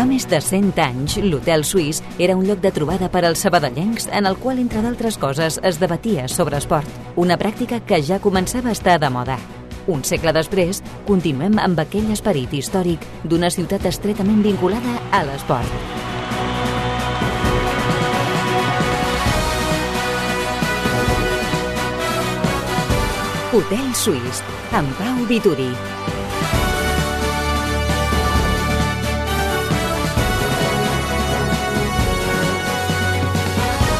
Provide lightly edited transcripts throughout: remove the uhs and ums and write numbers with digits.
Fa més de 100 anys, l'Hotel Suís era un lloc de trobada per als sabadellencs en el qual, entre d'altres coses, es debatia sobre esport, una pràctica que ja començava a estar de moda. Un segle després, continuem amb aquell esperit històric d'una ciutat estretament vinculada a l'esport. Hotel Suís, amb Pau Vituri.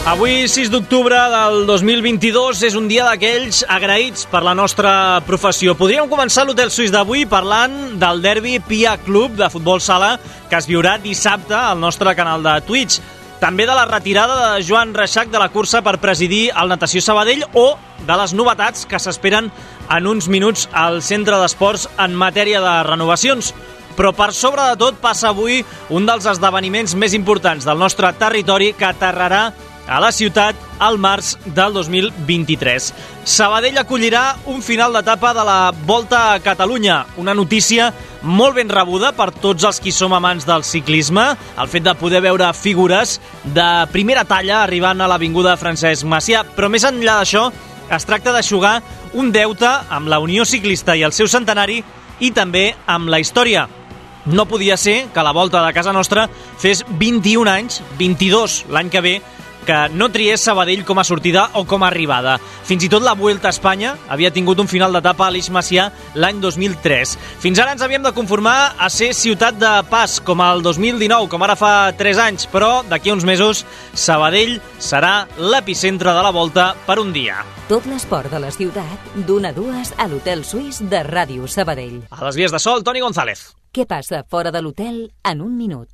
Avui, 6 d'octubre del 2022, és un dia d'aquells agraïts per la nostra professió. Podríem començar l'Hotel Suís d'avui parlant del derbi Pia Club de futbol sala que es viurà dissabte al nostre canal de Twitch. També de la retirada de Joan Reixac de la cursa per presidir el Natació Sabadell o de les novetats que s'esperen en uns minuts al Centre d'Esports en matèria de renovacions. Però per sobre de tot passa avui un dels esdeveniments més importants del nostre territori que aterrarà a la ciutat al març del 2023. Sabadell acollirà un final d'etapa de la Volta a Catalunya, una notícia molt ben rebuda per tots els qui som amants del ciclisme, el fet de poder veure figures de primera talla arribant a l'Avinguda Francesc Macià, però més enllà d'això es tracta d'eixugar un deute amb la Unió Ciclista i el seu centenari i també amb la història. No podia ser que la Volta de casa nostra fes 21 anys, 22 l'any que ve, que no triés Sabadell com a sortida o com a arribada. Fins i tot la Vuelta a Espanya havia tingut un final d'etapa a l'Eix Macià l'any 2003. Fins ara ens havíem de conformar a ser ciutat de pas, com el 2019, com ara fa 3 anys, però d'aquí a uns mesos Sabadell serà l'epicentre de la Volta per un dia. Tot l'esport de la ciutat, d'1 a 2 a l'Hotel Suís de Ràdio Sabadell. A les vies de sol, Toni González. Què passa fora de l'hotel en un minut?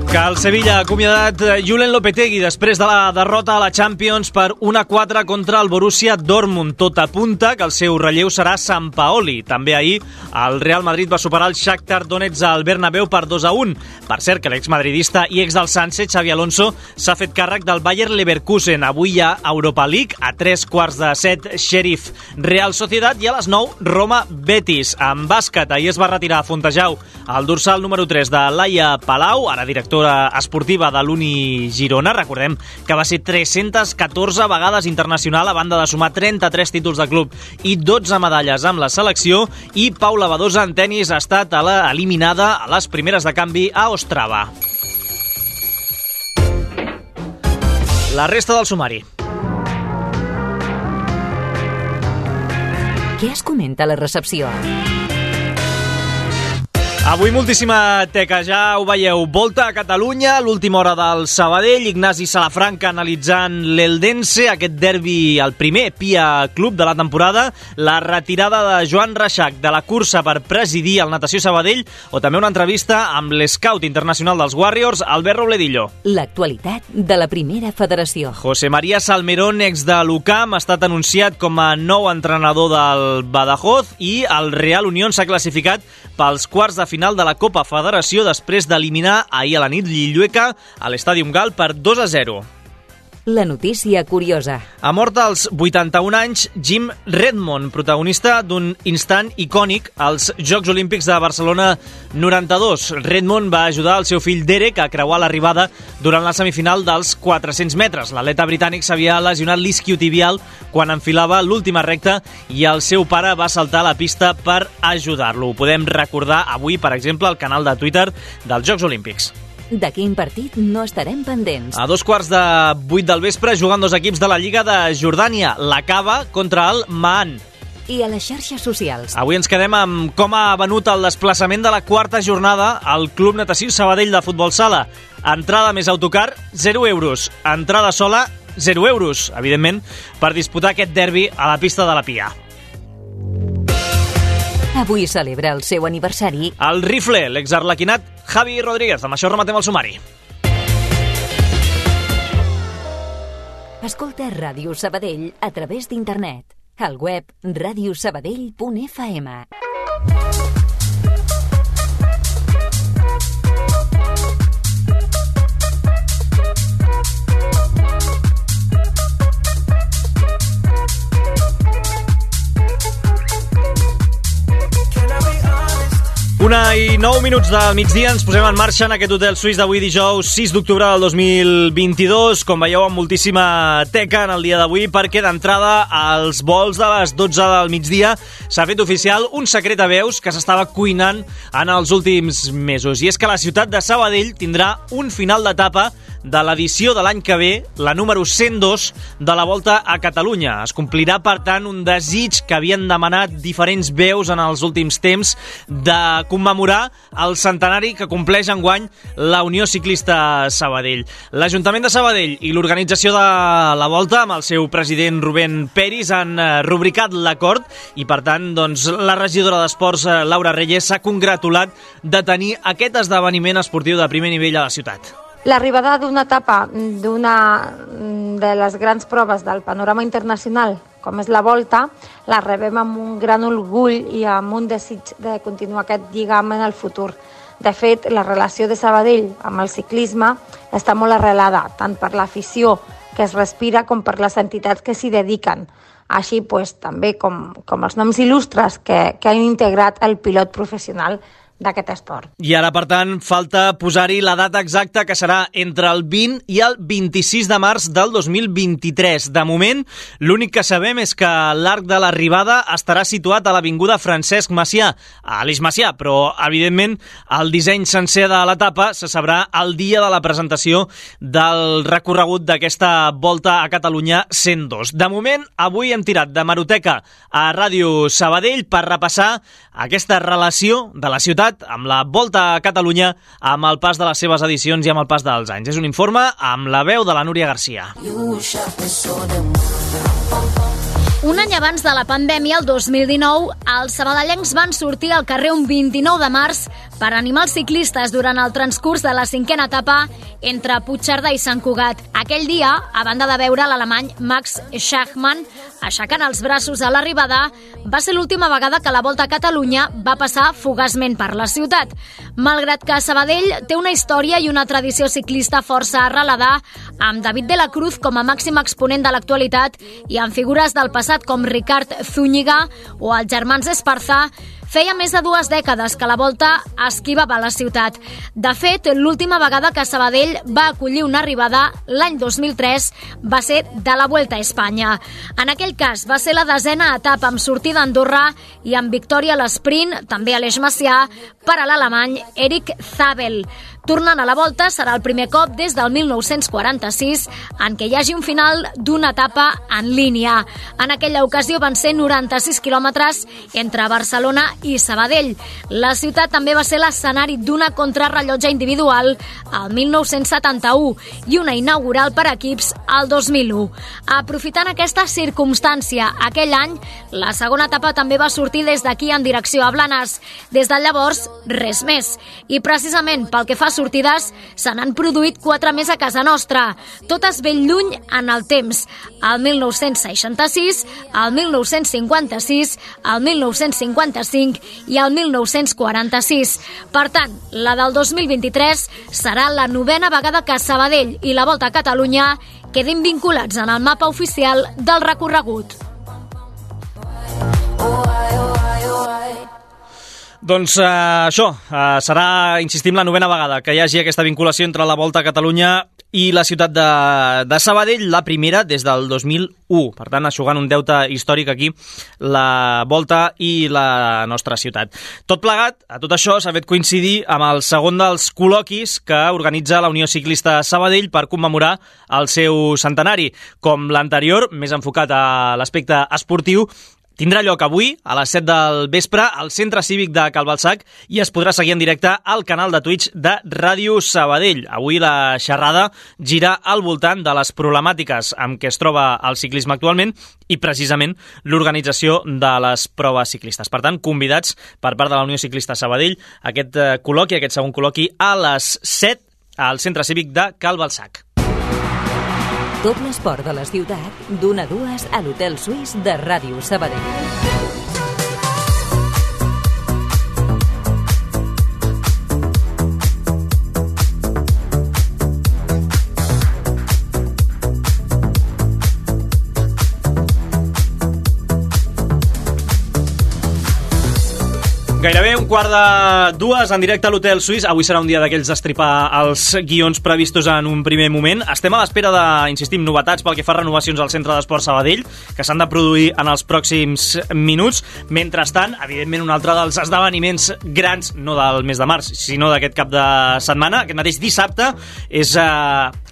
Que el Sevilla ha acomiadat Julen Lopetegui després de la derrota a la Champions per 1-4 contra el Borussia Dortmund. Tot apunta que el seu relleu serà Sampaoli. També ahir el Real Madrid va superar el Shakhtar Donetsk al Bernabéu per 2-1. Per cert, que l'exmadridista i ex del Sanse, Xavi Alonso, s'ha fet càrrec del Bayer Leverkusen. Avui hi ha Europa League, a 3:45 Sheriff Real Sociedad i a les 9 Roma Betis. En bàsquet, ahir es va retirar a Fontejau el dorsal número 3 de Laia Palau, ara directora esportiva de l'Uni Girona. Recordem que va ser 314 vegades internacional a banda de sumar 33 títols de club i 12 medalles amb la selecció, i Paula Badosa en tenis ha estat eliminada a les primeres de canvi a Ostrava. La resta del sumari. Què es comenta a la recepció? Avui moltíssima teca, ja ho veieu. Volta a Catalunya, l'última hora del Sabadell, Ignasi Salafranca analitzant l'Eldense, aquest derbi, el primer Pia Club de la temporada, la retirada de Joan Reixac de la cursa per presidir el Natació Sabadell, o també una entrevista amb l'escout internacional dels Warriors, Albert Robledillo. L'actualitat de la primera federació. José María Salmerón, ex de l'UCAM, ha estat anunciat com a nou entrenador del Badajoz, i el Real Unión s'ha classificat pels quarts de final de la Copa Federació després d'eliminar ahir a la nit Lillueca a l'Estàdium Gal per 2-0. La notícia curiosa. Ha mort als 81 anys Jim Redmond, protagonista d'un instant icònic als Jocs Olímpics de Barcelona 92. Redmond va ajudar el seu fill Derek a creuar l'arribada durant la semifinal dels 400 metres. L'atleta britànic s'havia lesionat l'isquiotibial quan enfilava l'última recta i el seu pare va saltar a la pista per ajudar-lo. Ho podem recordar avui, per exemple, al canal de Twitter dels Jocs Olímpics. De quin partit no estarem pendents? A 7:15 del vespre juguen dos equips de la Lliga de Jordània, la Cava contra el Maan. I a les xarxes socials. Avui ens quedem amb com ha venut el desplaçament de la quarta jornada al Club Natació Sabadell de futbol sala. Entrada més autocar, 0 euros. Entrada sola, 0 euros, evidentment, per disputar aquest derbi a la pista de la Pia. Avui celebra el seu aniversari el rifle, l'exarlequinat Javi Rodríguez. Amb això rematem el sumari. Escolta Ràdio Sabadell a través d'internet. Al web radiosabadell.fm. 1:09 del migdia, ens posem en marxa en aquest hotel suís d'avui dijous 6 d'octubre del 2022. Com veieu, amb moltíssima teca en el dia d'avui, perquè d'entrada als vols de les 12 del migdia s'ha fet oficial un secret a veus que s'estava cuinant en els últims mesos. I és que la ciutat de Sabadell tindrà un final d'etapa de l'edició de l'any que ve, la número 102 de la Volta a Catalunya. Es complirà, per tant, un desig que havien demanat diferents veus en els últims temps de commemorar el centenari que compleix enguany la Unió Ciclista Sabadell. L'Ajuntament de Sabadell i l'organització de la Volta, amb el seu president Rubén Peris, han rubricat l'acord i, per tant, doncs, la regidora d'Esports, Laura Reyes, s'ha congratulat de tenir aquest esdeveniment esportiu de primer nivell a la ciutat. L'arribada d'una etapa d'una de les grans proves del panorama internacional, com és la Volta, la rebem amb un gran orgull i amb un desig de continuar aquest lligam en el futur. De fet, la relació de Sabadell amb el ciclisme està molt arrelada, tant per l'afició que es respira com per les entitats que s'hi dediquen. Així, també com els noms il·lustres que han integrat el pilot professional d'aquest esport. I ara, per tant, falta posar-hi la data exacta, que serà entre el 20 i el 26 de març del 2023. De moment, l'únic que sabem és que l'arc de l'arribada estarà situat a l'avinguda Francesc Macià, a Aleix Macià, però, evidentment, el disseny sencer de l'etapa se sabrà el dia de la presentació del recorregut d'aquesta Volta a Catalunya 102. De moment, avui hem tirat de Maroteca a Ràdio Sabadell per repassar aquesta relació de la ciutat amb la Volta a Catalunya, amb el pas de les seves edicions i amb el pas dels anys. És un informe amb la veu de la Núria Garcia. Un any abans de la pandèmia, el 2019, els sabadellencs van sortir al carrer un 29 de març per animar els ciclistes durant el transcurs de la 5a etapa entre Puigcerdà i Sant Cugat. Aquell dia, a banda de veure l'alemany Max Schachmann aixecant els braços a l'arribada, va ser l'última vegada que la Volta a Catalunya va passar fugaçment per la ciutat. Malgrat que Sabadell té una història i una tradició ciclista força arrelada, amb David de la Cruz com a màxim exponent de l'actualitat i amb figures del passat com Ricard Zúñiga o els germans Esparza, feia més de 2 dècades que la Volta esquivava la ciutat. De fet, l'última vegada que Sabadell va acollir una arribada, l'any 2003, va ser de la Vuelta a Espanya. En aquell cas, va ser la 10a etapa amb sortida a Andorra i amb victòria a l'esprint, també a l'Eix Macià, per a l'alemany Erik Zabel. Tornant a la Volta serà el primer cop des del 1946 en què hi hagi un final d'una etapa en línia. En aquella ocasió van ser 96 quilòmetres entre Barcelona i Sabadell. La ciutat també va ser l'escenari d'una contrarrellotge individual al 1971 i una inaugural per equips al 2001. Aprofitant aquesta circumstància, aquell any, la segona etapa també va sortir des d'aquí en direcció a Blanes. Des de llavors, res més. I precisament pel que fa a sortides, se n'han produït 4 més a casa nostra, totes ben lluny en el temps. El 1966, el 1956, el 1955 i el 1946. Per tant, la del 2023 serà la 9a vegada que Sabadell i la Volta a Catalunya quedin vinculats en el mapa oficial del recorregut. Doncs això, serà, insistim, la 9a vegada que hi hagi aquesta vinculació entre la Volta a Catalunya i la ciutat de Sabadell, la primera des del 2001. Per tant, aixugant un deute històric aquí, la Volta i la nostra ciutat. Tot plegat, a tot això, s'ha fet coincidir amb el segon dels col·loquis que organitza la Unió Ciclista Sabadell per commemorar el seu centenari. Com l'anterior, més enfocat a l'aspecte esportiu, tindrà lloc avui, a les 7 del vespre, al Centre Cívic de Cal Balsac i es podrà seguir en directe al canal de Twitch de Ràdio Sabadell. Avui la xerrada gira al voltant de les problemàtiques amb què es troba el ciclisme actualment i precisament l'organització de les proves ciclistes. Per tant, convidats per part de la Unió Ciclista Sabadell a aquest col·loqui, aquest segon col·loqui, a les 7 al Centre Cívic de Cal Balsac. Tot l'esport de la ciutat, d'1 a 2 a l'Hotel Suís de Ràdio Sabadell. Gairebé 1:45 en directe a l'Hotel Suís. Avui serà un dia d'aquells d'estripar els guions previstos en un primer moment. Estem a l'espera de, insistim, novetats pel que fa a renovacions al Centre d'Esport Sabadell, que s'han de produir en els pròxims minuts. Mentrestant, evidentment, un altre dels esdeveniments grans, no del mes de març, sinó d'aquest cap de setmana, aquest mateix dissabte, és,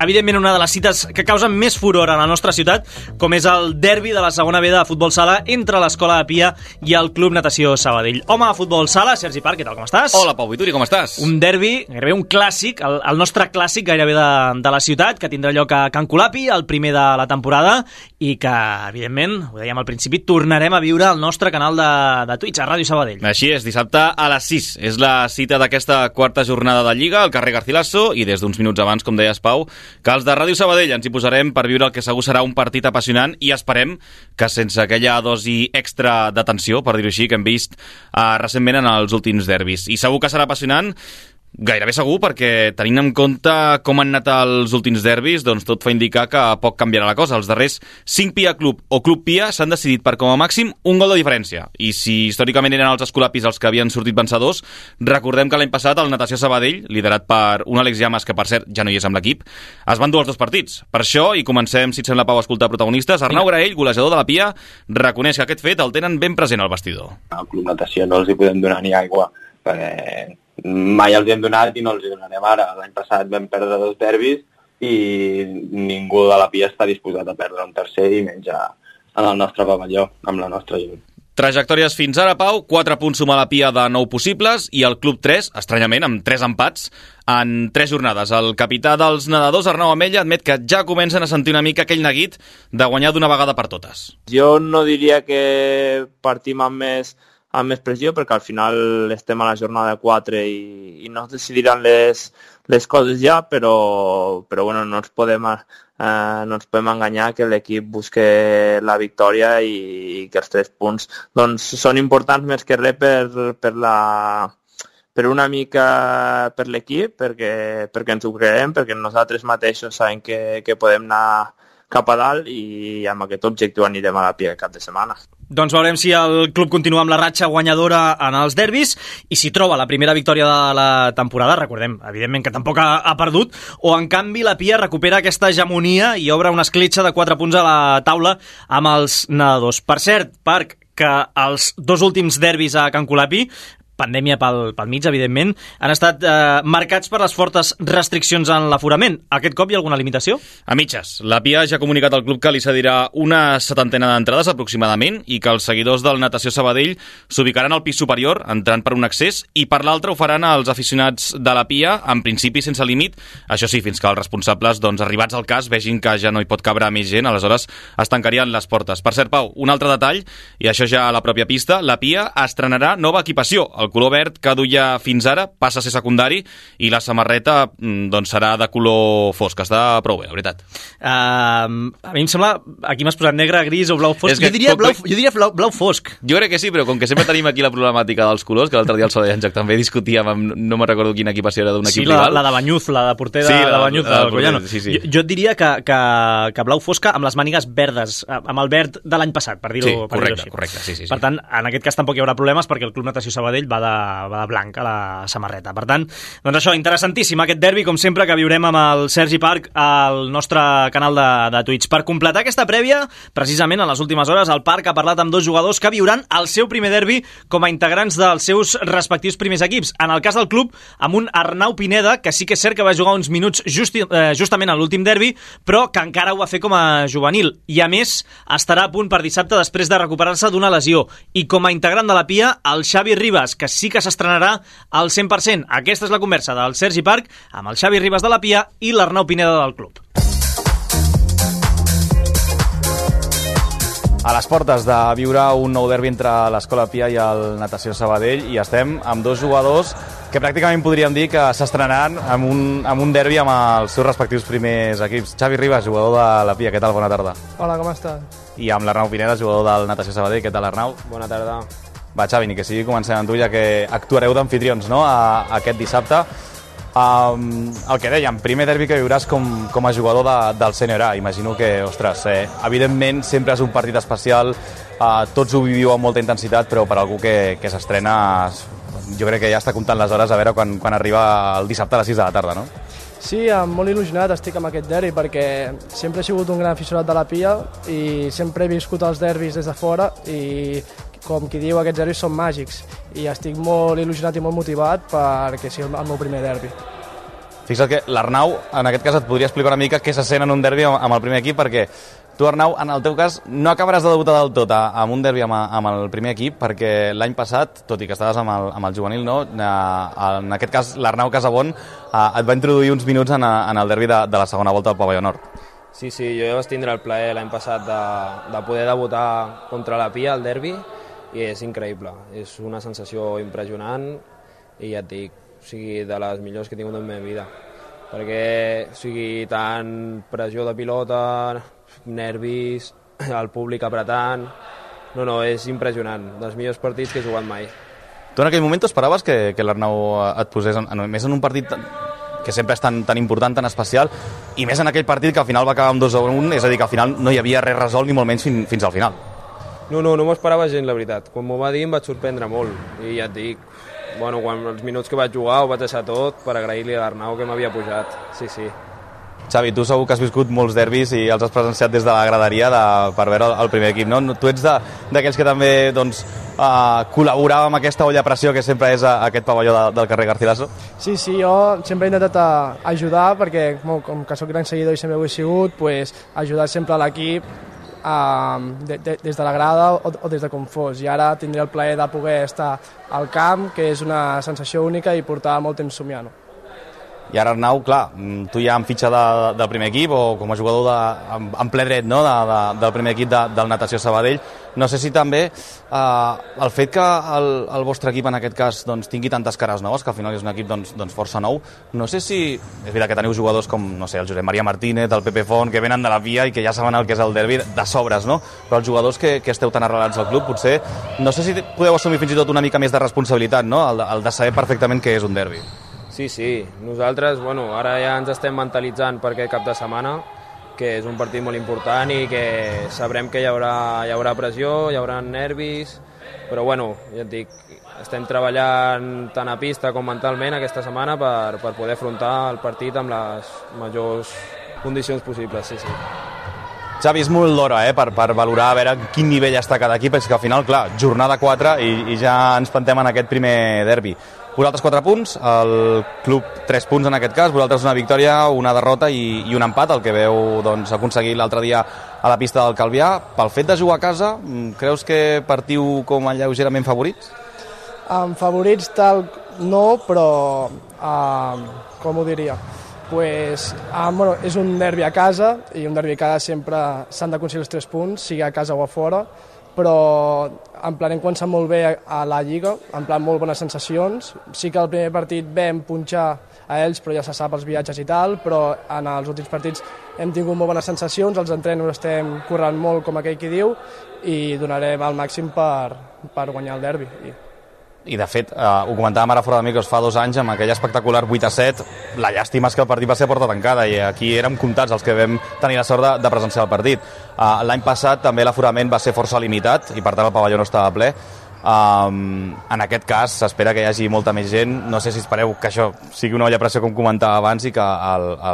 evidentment, una de les cites que causen més furor a la nostra ciutat, com és el derbi de la segona B de futbol sala entre l'Escola de Pia i el Club Natació Sabadell. Home de futbol sala, Sergi Park, què tal, com estàs? Hola, Pau Vituri, com estàs? Un derbi, gairebé un clàssic, el nostre clàssic gairebé de la ciutat, que tindrà lloc a Can Colapi, el primer de la temporada, i que, evidentment, ho dèiem al principi, tornarem a viure al nostre canal de Twitch, a Ràdio Sabadell. Així és, dissabte a les 6. És la cita d'aquesta quarta jornada de Lliga al carrer Garcilaso, i des d'uns minuts abans, com deies, Pau, que els de Ràdio Sabadell ens hi posarem per viure el que segur serà un partit apassionant, i esperem que sense aquella dosi extra de tensió, per dir-ho així, que hem vist recentment en els últims derbis. I segur que serà apassionant, gairebé segur, perquè tenint en compte com han anat els últims derbis, doncs tot fa indicar que poc canviarà la cosa. Els darrers 5 Pia Club o Club Pia s'han decidit per com a màxim un gol de diferència. I si històricament eren els escolapis els que havien sortit vencedors, recordem que l'any passat el Natació Sabadell, liderat per un Àlex Llamas, que per cert ja no hi és amb l'equip, es van dur els dos partits. Per això, i comencem, si et sembla, Pau, a escoltar protagonistes, Arnau Graell, golejador de la Pia, reconeix que aquest fet el tenen ben present al vestidor. Al Club Natació no els hi podem donar ni aigua, perquè mai els hi hem donat i no els hi donarem ara. L'any passat vam perdre 2 derbis i ningú de la Pia està disposat a perdre un tercer, i menys en el nostre pavelló, amb la nostra gent. Trajectòries fins ara, Pau: 4 punts suma la Pia de 9 possibles, i el Club 3, estranyament, amb 3 empats en 3 jornades. El capità dels nedadors, Arnau Amella, admet que ja comencen a sentir una mica aquell neguit de guanyar d'una vegada per totes. Jo no diria que partim amb més pressió, perquè al final estem a la jornada 4 i no es decidiran les coses ja, però bueno, no ens podem enganyar que l'equip busque la victòria i que els 3 punts doncs, són importants més que res per una mica per l'equip, perquè ens ho creiem, perquè nosaltres mateixos sabem que podem anar cap a dalt, i amb aquest objectiu anirem a la Pia cap de setmana. Doncs veurem si el club continua amb la ratxa guanyadora en els derbis i si troba la primera victòria de la temporada. Recordem, evidentment, que tampoc ha perdut, o en canvi la Pia recupera aquesta hegemonia i obre una escletxa de 4 punts a la taula amb els nedadors. Per cert, Parc, que els 2 últims derbis a Can Colapi, pandèmia pel mig, evidentment, han estat marcats per les fortes restriccions en l'aforament. Aquest cop hi ha alguna limitació? A mitges. La Pia ja ha comunicat al club que li cedirà una 70ena d'entrades aproximadament, i que els seguidors del Natació Sabadell s'ubicaran al pis superior, entrant per un accés, i per l'altre ho faran els aficionats de la Pia, en principi sense límit, això sí, fins que els responsables, doncs, arribats al cas, vegin que ja no hi pot cabre més gent, aleshores es tancarien les portes. Per cert, Pau, un altre detall, i això ja a la pròpia pista, la Pia estrenarà nova equipació. El color verd que duia fins ara passa a ser secundari, i la samarreta doncs serà de color fosc. Està prou bé, la veritat. A mi em sembla, aquí m'has posat negre, gris o blau fosc. Jo diria blau fosc. Jo crec que sí, però com que sempre tenim aquí la problemàtica dels colors, que l'altre dia el Solejanjac també discutíem amb, no me'n recordo quina equipació era d'un equip rival. Sí, la de Banyuz, la de porter de Banyuz, del Collano. Sí. Jo diria que blau fosca amb les mànigues verdes, amb el verd de l'any passat, per dir-ho així. Correcte, sí. Per tant, en aquest cas tampoc hi haurà problemes, perquè el Club Natació Sabadell va de blanc a la samarreta. Per tant, doncs això, interessantíssim aquest derbi, com sempre, que viurem amb el Sergi Park al nostre canal de Twitch. Per completar aquesta prèvia, precisament en les últimes hores, el Park ha parlat amb 2 jugadors que viuran el seu primer derbi com a integrants dels seus respectius primers equips. En el cas del club, amb un Arnau Pineda, que sí que és cert que va jugar uns minuts justament a l'últim derbi, però que encara ho va fer com a juvenil. I, a més, estarà a punt per dissabte després de recuperar-se d'una lesió. I com a integrant de la Pia, el Xavi Ribas, que sí que s'estrenarà al 100%. Aquesta és la conversa del Sergi Park amb el Xavi Ribas de la Pia i l'Arnau Pineda del club. A les portes de viure un nou derbi entre l'Escola Pia i el Natació Sabadell, i estem amb 2 jugadors que pràcticament podríem dir que s'estrenaran amb un derbi amb els seus respectius primers equips. Xavi Ribas, jugador de la Pia, què tal? Bona tarda. Hola, com estàs? I amb l'Arnau Pineda, jugador del Natació Sabadell, què tal, Arnau? Bona tarda. Va, Xavi, ni que sigui comencem amb tu, ja que actuareu d'anfitrions, no?, aquest dissabte. El que dèiem, primer derbi que viuràs com a jugador del sènior A. Imagino que, ostres, evidentment sempre és un partit especial, tots ho viviu amb molta intensitat, però per algú que s'estrena jo crec que ja està comptant les hores a veure quan arriba el dissabte a les 6 de la tarda, no? Sí, molt il·lusionat estic amb aquest derbi perquè sempre he sigut un gran aficionat de la Pia i sempre he viscut els derbis des de fora i, com qui diu, aquests derbis són màgics i estic molt il·lusionat i molt motivat perquè sigui el meu primer derbi. Fixa't que l'Arnau, en aquest cas, et podria explicar una mica què se sent en un derbi amb el primer equip, perquè tu, Arnau, en el teu cas, no acabaràs de debutar del tot amb un derbi amb el primer equip, perquè l'any passat, tot i que estaves amb el juvenil, no? En aquest cas, l'Arnau Casabon et va introduir uns minuts en el derbi de la segona volta del Pavelló Nord. Sí, jo vaig tindre el plaer l'any passat de poder debutar contra la Pia al derbi i és increïble, és una sensació impressionant i ja et dic, de les millors que he tingut en la meva vida, perquè tant pressió de pilota, nervis, el públic apretant, és impressionant, dels millors partits que he jugat mai. Tu en aquell moment t'esperaves que l'Arnau et posés més en un partit que sempre és tan important, tan especial, i més en aquell partit que al final va acabar amb 2-1, és a dir, que al final no hi havia res resolt ni molt menys fins al final? No m'ho esperava gens, la veritat. Quan m'ho va dir em vaig sorprendre molt i ja et dic, quan els minuts que vaig jugar ho vaig deixar tot per agrair-li a l'Arnau que m'havia pujat, sí. Xavi, tu segur que has viscut molts derbis i els has presenciat des de la graderia per veure el primer equip, no? Tu ets d'aquells que també col·laborava amb aquesta olla a pressió que sempre és aquest pavelló del carrer Garcilaso? Sí, jo sempre he intentat ajudar perquè, com que soc gran seguidor i sempre ho he sigut, ajudar sempre a l'equip des de la grada o des de com fos, i ara tindré el plaer de poder estar al camp, que és una sensació única i portar molt temps somiant. I ara, Arnau, clar, tu ja amb fitxa del primer equip o com a jugador en ple dret, no? del primer equip del Natació Sabadell, no sé si també el fet que el vostre equip en aquest cas tingui tantes cares noves, que al final és un equip força nou, no sé si és veritat que teniu jugadors com, no sé, el Josep Maria Martínez, el Pepe Font, que venen de la Pia i que ja saben el que és el derbi de sobres, no? Però els jugadors que esteu tan arrelats al club, potser, no sé si podeu assumir fins i tot una mica més de responsabilitat, no? El de saber perfectament què és un derbi. Sí, nosaltres, ara ja ens estem mentalitzant per aquest cap de setmana, que és un partit molt important i que sabrem que hi haurà pressió, hi haurà nervis, però ja et dic, estem treballant tant a pista com mentalment aquesta setmana per poder afrontar el partit amb les majors condicions possibles, sí. Xavi, és molt d'hora per valorar a veure quin nivell està cada equip, és que al final, clar, jornada 4 i ja ens plantem en aquest primer derbi. Vosaltres 4 punts, el club 3 punts en aquest cas, vosaltres una victòria, una derrota i un empat, el que veu aconseguir l'altre dia a la pista del Calvià. Pel fet de jugar a casa, creus que partiu com a lleugerament favorits? Favorits tal no, però com ho diria? És un derbi a casa i un derbi a casa sempre s'han d'aconseguir els 3 punts, sigui a casa o a fora, però en plan hem començat molt bé a la Lliga, en plan molt bones sensacions. Sí que el primer partit vam punxar a ells, però ja se sap els viatges i tal, però en els últims partits hem tingut molt bones sensacions, els entrenos estem corrent molt, com aquell qui diu, i donarem el màxim per guanyar el derbi. I de fet, ho comentàvem ara fora de micros fa 2 anys amb aquell espectacular 8-7, la llàstima és que el partit va ser a porta tancada i aquí érem comptats els que vam tenir la sort de presenciar el partit. L'any passat també l'aforament va ser força limitat i per tant el pavelló no estava ple. En aquest cas s'espera que hi hagi molta més gent, no sé si espereu que això sigui una olla a pressió com comentava abans i que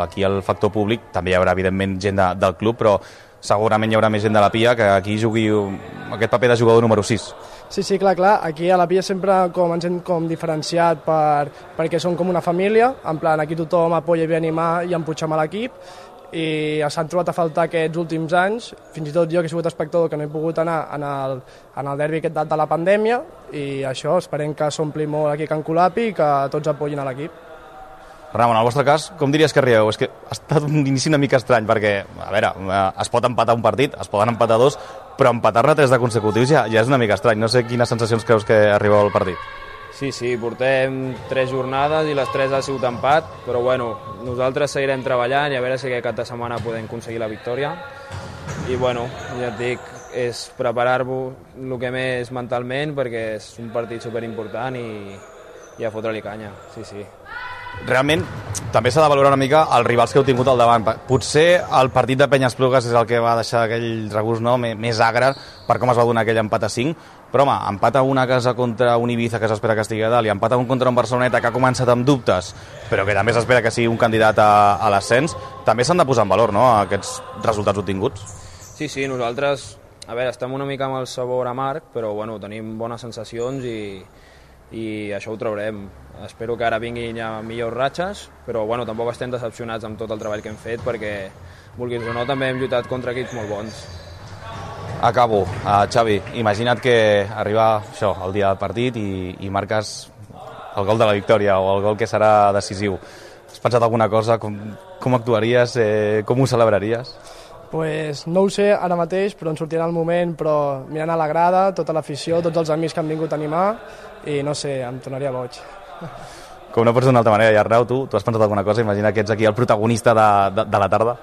aquí el factor públic també hi haurà evidentment gent del club, però segurament hi haurà més gent de la Pia que aquí jugui aquest paper de jugador número 6. Sí, clar, aquí a la Pia sempre ens hem diferenciat perquè som com una família, en plan aquí tothom apoya i ve a animar i empuixem a l'equip, i s'han trobat a faltar aquests últims anys, fins i tot jo que he sigut espectador que no he pogut anar en el derbi aquest de la pandèmia, i això, esperem que s'ompli molt aquí a Can Colapi i que tots apoyin a l'equip. Ramon, en el vostre cas, com diries que arribeu? És que ha estat un inici una mica estrany, perquè, a veure, es pot empatar un partit, es poden empatar 2, però empatar-ne 3 de consecutius ja és una mica estrany. No sé quines sensacions creus que arribeu al partit. Sí, portem 3 jornades i les 3 ha sigut empat, però nosaltres seguirem treballant i a veure si aquest cap de setmana podem aconseguir la victòria. I ja et dic, és preparar-vos el que més mentalment, perquè és un partit superimportant i a fotre-li canya, sí. realment també s'ha de valorar una mica els rivals que heu tingut al davant. Potser el partit de Penyes-Plugues és el que va deixar aquell regust, no?, més agre per com es va donar aquell empat a 5, però home, empat a una casa contra un Ibiza que s'espera que estigui a dalt i empat a un contra un Barceloneta que ha començat amb dubtes, però que també s'espera que sigui un candidat a l'ascens, també s'han de posar en valor, no?, aquests resultats obtinguts. Sí, nosaltres, a veure, estem una mica amb el sabor amarg, però bueno, tenim bones sensacions i això ho traurem. Espero que ara vinguin ja millors ratxes, però bueno, tampoc estem decepcionats amb tot el treball que hem fet perquè, vulguis o no, també hem lluitat contra equips molt bons. Acabo. Xavi, imagina't que arriba això, el dia del partit i marques el gol de la victòria o el gol que serà decisiu. Has pensat alguna cosa? Com actuaries? Com ho celebraries? Pues no ho sé ara mateix, però en sortirà el moment, però mirant a la grada, tota l'afició, tots els amics que han vingut a animar, i no sé, em tornaria boig. Com no pots d'una altra manera, i Arnau, tu has pensat alguna cosa? Imagina que ets aquí el protagonista de la tarda.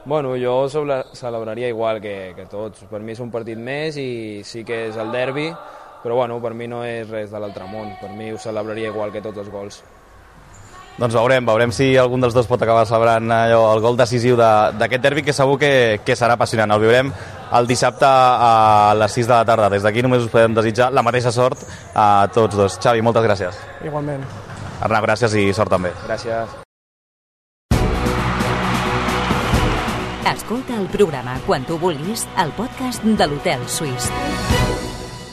Bueno, jo celebraria igual que tots. Per mi és un partit més i sí que és el derbi, però bueno, per mi no és res de l'altre món. Per mi ho celebraria igual que tots els gols. Doncs veurem si algun dels dos pot acabar celebrant el gol decisiu d'aquest derbi, que segur que serà apassionant. El viurem el dissabte a les 6 de la tarda. Des d'aquí només us podem desitjar la mateixa sort a tots dos. Xavi, moltes gràcies. Igualment. Arnau, gràcies i sort també. Gràcies. Escolta el programa quan tu vulguis al podcast de l'Hotel Suís.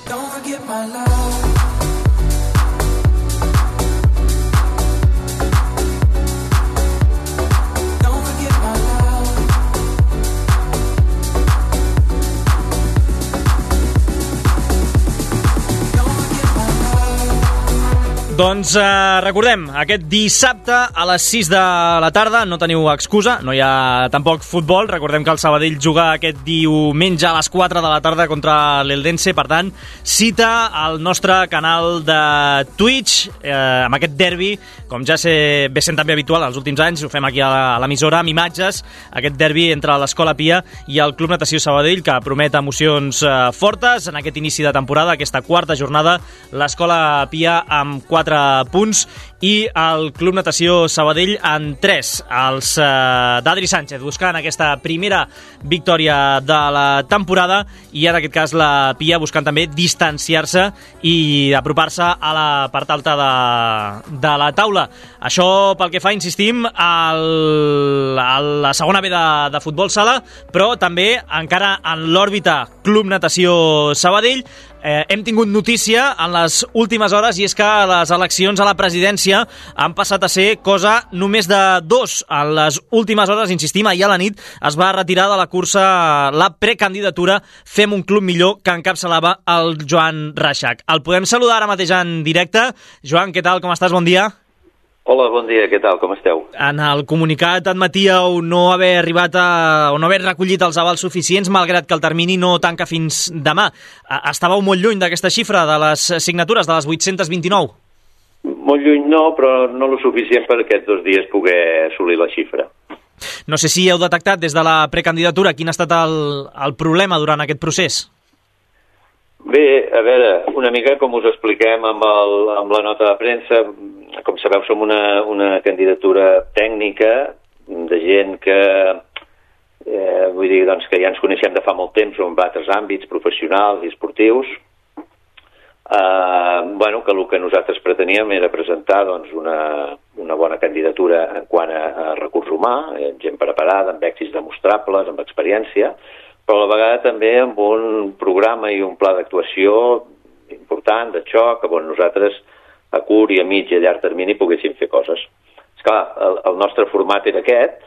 Don't forget my love. Doncs recordem, aquest dissabte a les 6 de la tarda no teniu excusa, no hi ha tampoc futbol. Recordem que el Sabadell juga aquest diumenge a les 4 de la tarda contra l'Eldense, per tant, cita al nostre canal de Twitch amb aquest derbi, com ja ve sent també habitual els últims anys, ho fem aquí a l'emissora amb imatges, aquest derbi entre l'Escola Pia i el Club Natació Sabadell, que promet emocions fortes en aquest inici de temporada, aquesta quarta jornada. L'Escola Pia amb 4 punts i el Club Natació Sabadell en 3. Els d'Adri Sánchez buscant aquesta primera victòria de la temporada i en aquest cas la Pia buscant també distanciar-se i apropar-se a la part alta de la taula. Això pel que fa, insistim, a la segona B de futbol sala, però també encara en l'òrbita Club Natació Sabadell. Hem tingut notícia en les últimes hores i és que les eleccions a la presidència han passat a ser cosa només de 2. En les últimes hores, insistim, ahir a la nit es va retirar de la cursa la precandidatura Fem un club millor, que encapçalava el Joan Reixac. El podem saludar ara mateix en directe. Joan, què tal? Com estàs? Bon dia. Hola, bon dia, què tal, com esteu? En el comunicat admetíeu no haver arribat o no haver recollit els avals suficients, malgrat que el termini no tanca fins demà. Estàveu molt lluny d'aquesta xifra, de les signatures, de les 829? Molt lluny no, però no lo suficient per aquests 2 dies poder assolir la xifra. No sé si heu detectat des de la precandidatura quin ha estat el problema durant aquest procés. Bé, a veure, una mica com us expliquem amb la nota de premsa, com sabeu som una candidatura tècnica de gent que vull dir doncs, que ja ens coneixem de fa molt temps en altres àmbits professionals i esportius. Bueno, que el que nosaltres preteníem era presentar doncs, una bona candidatura en quant a recurs humà, gent preparada, amb èxits demostrables, amb experiència, però a la vegada també amb un programa i un pla d'actuació important, de xoc, on nosaltres a curt i a mig i a llarg termini poguéssim fer coses. Esclar, el nostre format era aquest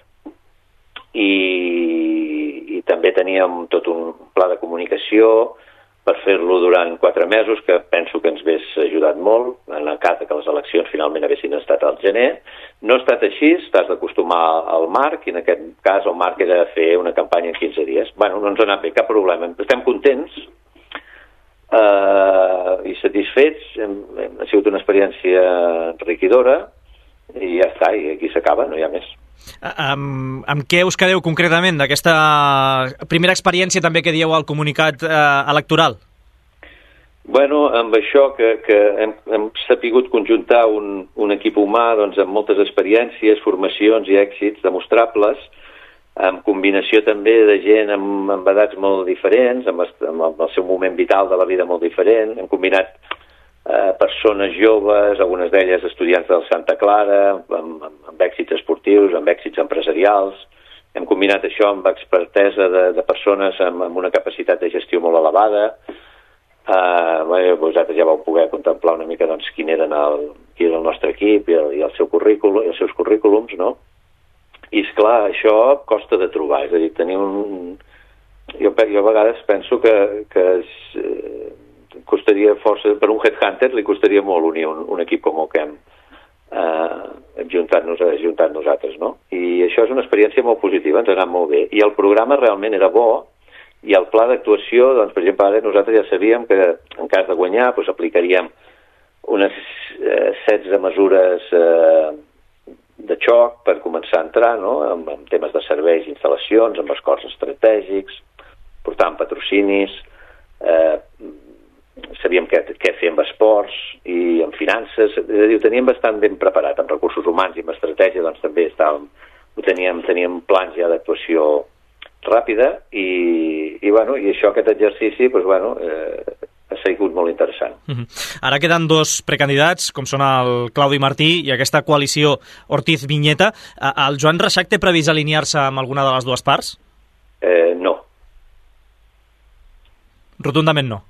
i també teníem tot un pla de comunicació per fer-lo durant 4 mesos, que penso que ens hagués ajudat molt, en el cas que les eleccions finalment haguessin estat al gener. No ha estat així, t'has d'acostumar al marc, i en aquest cas el marc era fer una campanya en 15 dies. Bueno, no ens ha anat bé, cap problema. Estem contents i satisfets, ha sigut una experiència enriquidora, i ja està, i aquí s'acaba, no hi ha més. Amb què us quedeu concretament d'aquesta primera experiència també que dieu al comunicat electoral? Bueno, amb això que hem sapigut conjuntar un equip humà doncs, amb moltes experiències, formacions i èxits demostrables, amb combinació també de gent amb edats molt diferents, amb el seu moment vital de la vida molt diferent. Hem combinat persones joves, algunes d'elles estudiants del Santa Clara, amb èxits esportius, amb èxits empresarials. Hem combinat això amb expertesa de persones amb una capacitat de gestió molt elevada. Vosaltres ja vau poder contemplar una mica doncs, quin era el nostre equip i el seu currículum, i els seus currículums, no? I esclar, això costa de trobar, és a dir, tenir jo a vegades penso que costaria força, per un headhunter li costaria molt unir un equip com el que hem juntat nosaltres, no? I això és una experiència molt positiva, ens ha anat molt bé. I el programa realment era bo, i el pla d'actuació, doncs, per exemple, ara nosaltres ja sabíem que en cas de guanyar doncs, aplicaríem unes 16 mesures de xoc per començar a entrar, no? amb temes de serveis i instal·lacions, amb acords estratègics, portant patrocinis, sabíem què fer amb esports i amb finances, és a dir, ho teníem bastant ben preparat, amb recursos humans i amb estratègia, doncs també teníem plans ja d'actuació ràpida i això, aquest exercici, ha sigut molt interessant. Ara queden dos precandidats, com són el Claudi Martí i aquesta coalició Ortiz-Viñeta. El Joan Reixac té previst alinear-se amb alguna de les dues parts? No. Rotundament no.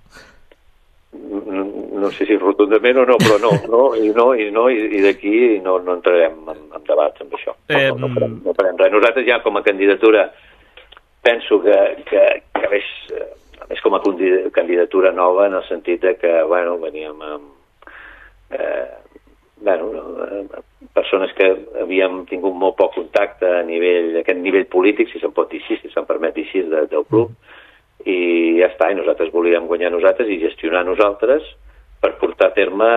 No sé si rotundament o no, però no, i d'aquí no entrarem en debats amb això. No farem res. Nosaltres ja com a candidatura penso que és com a candidatura nova en el sentit que, veníem amb persones que havíem tingut molt poc contacte a aquest nivell polític, si se'n pot dir així, si se'n permet dir així, del club, i ja està, i nosaltres volíem guanyar nosaltres i gestionar nosaltres per portar a terme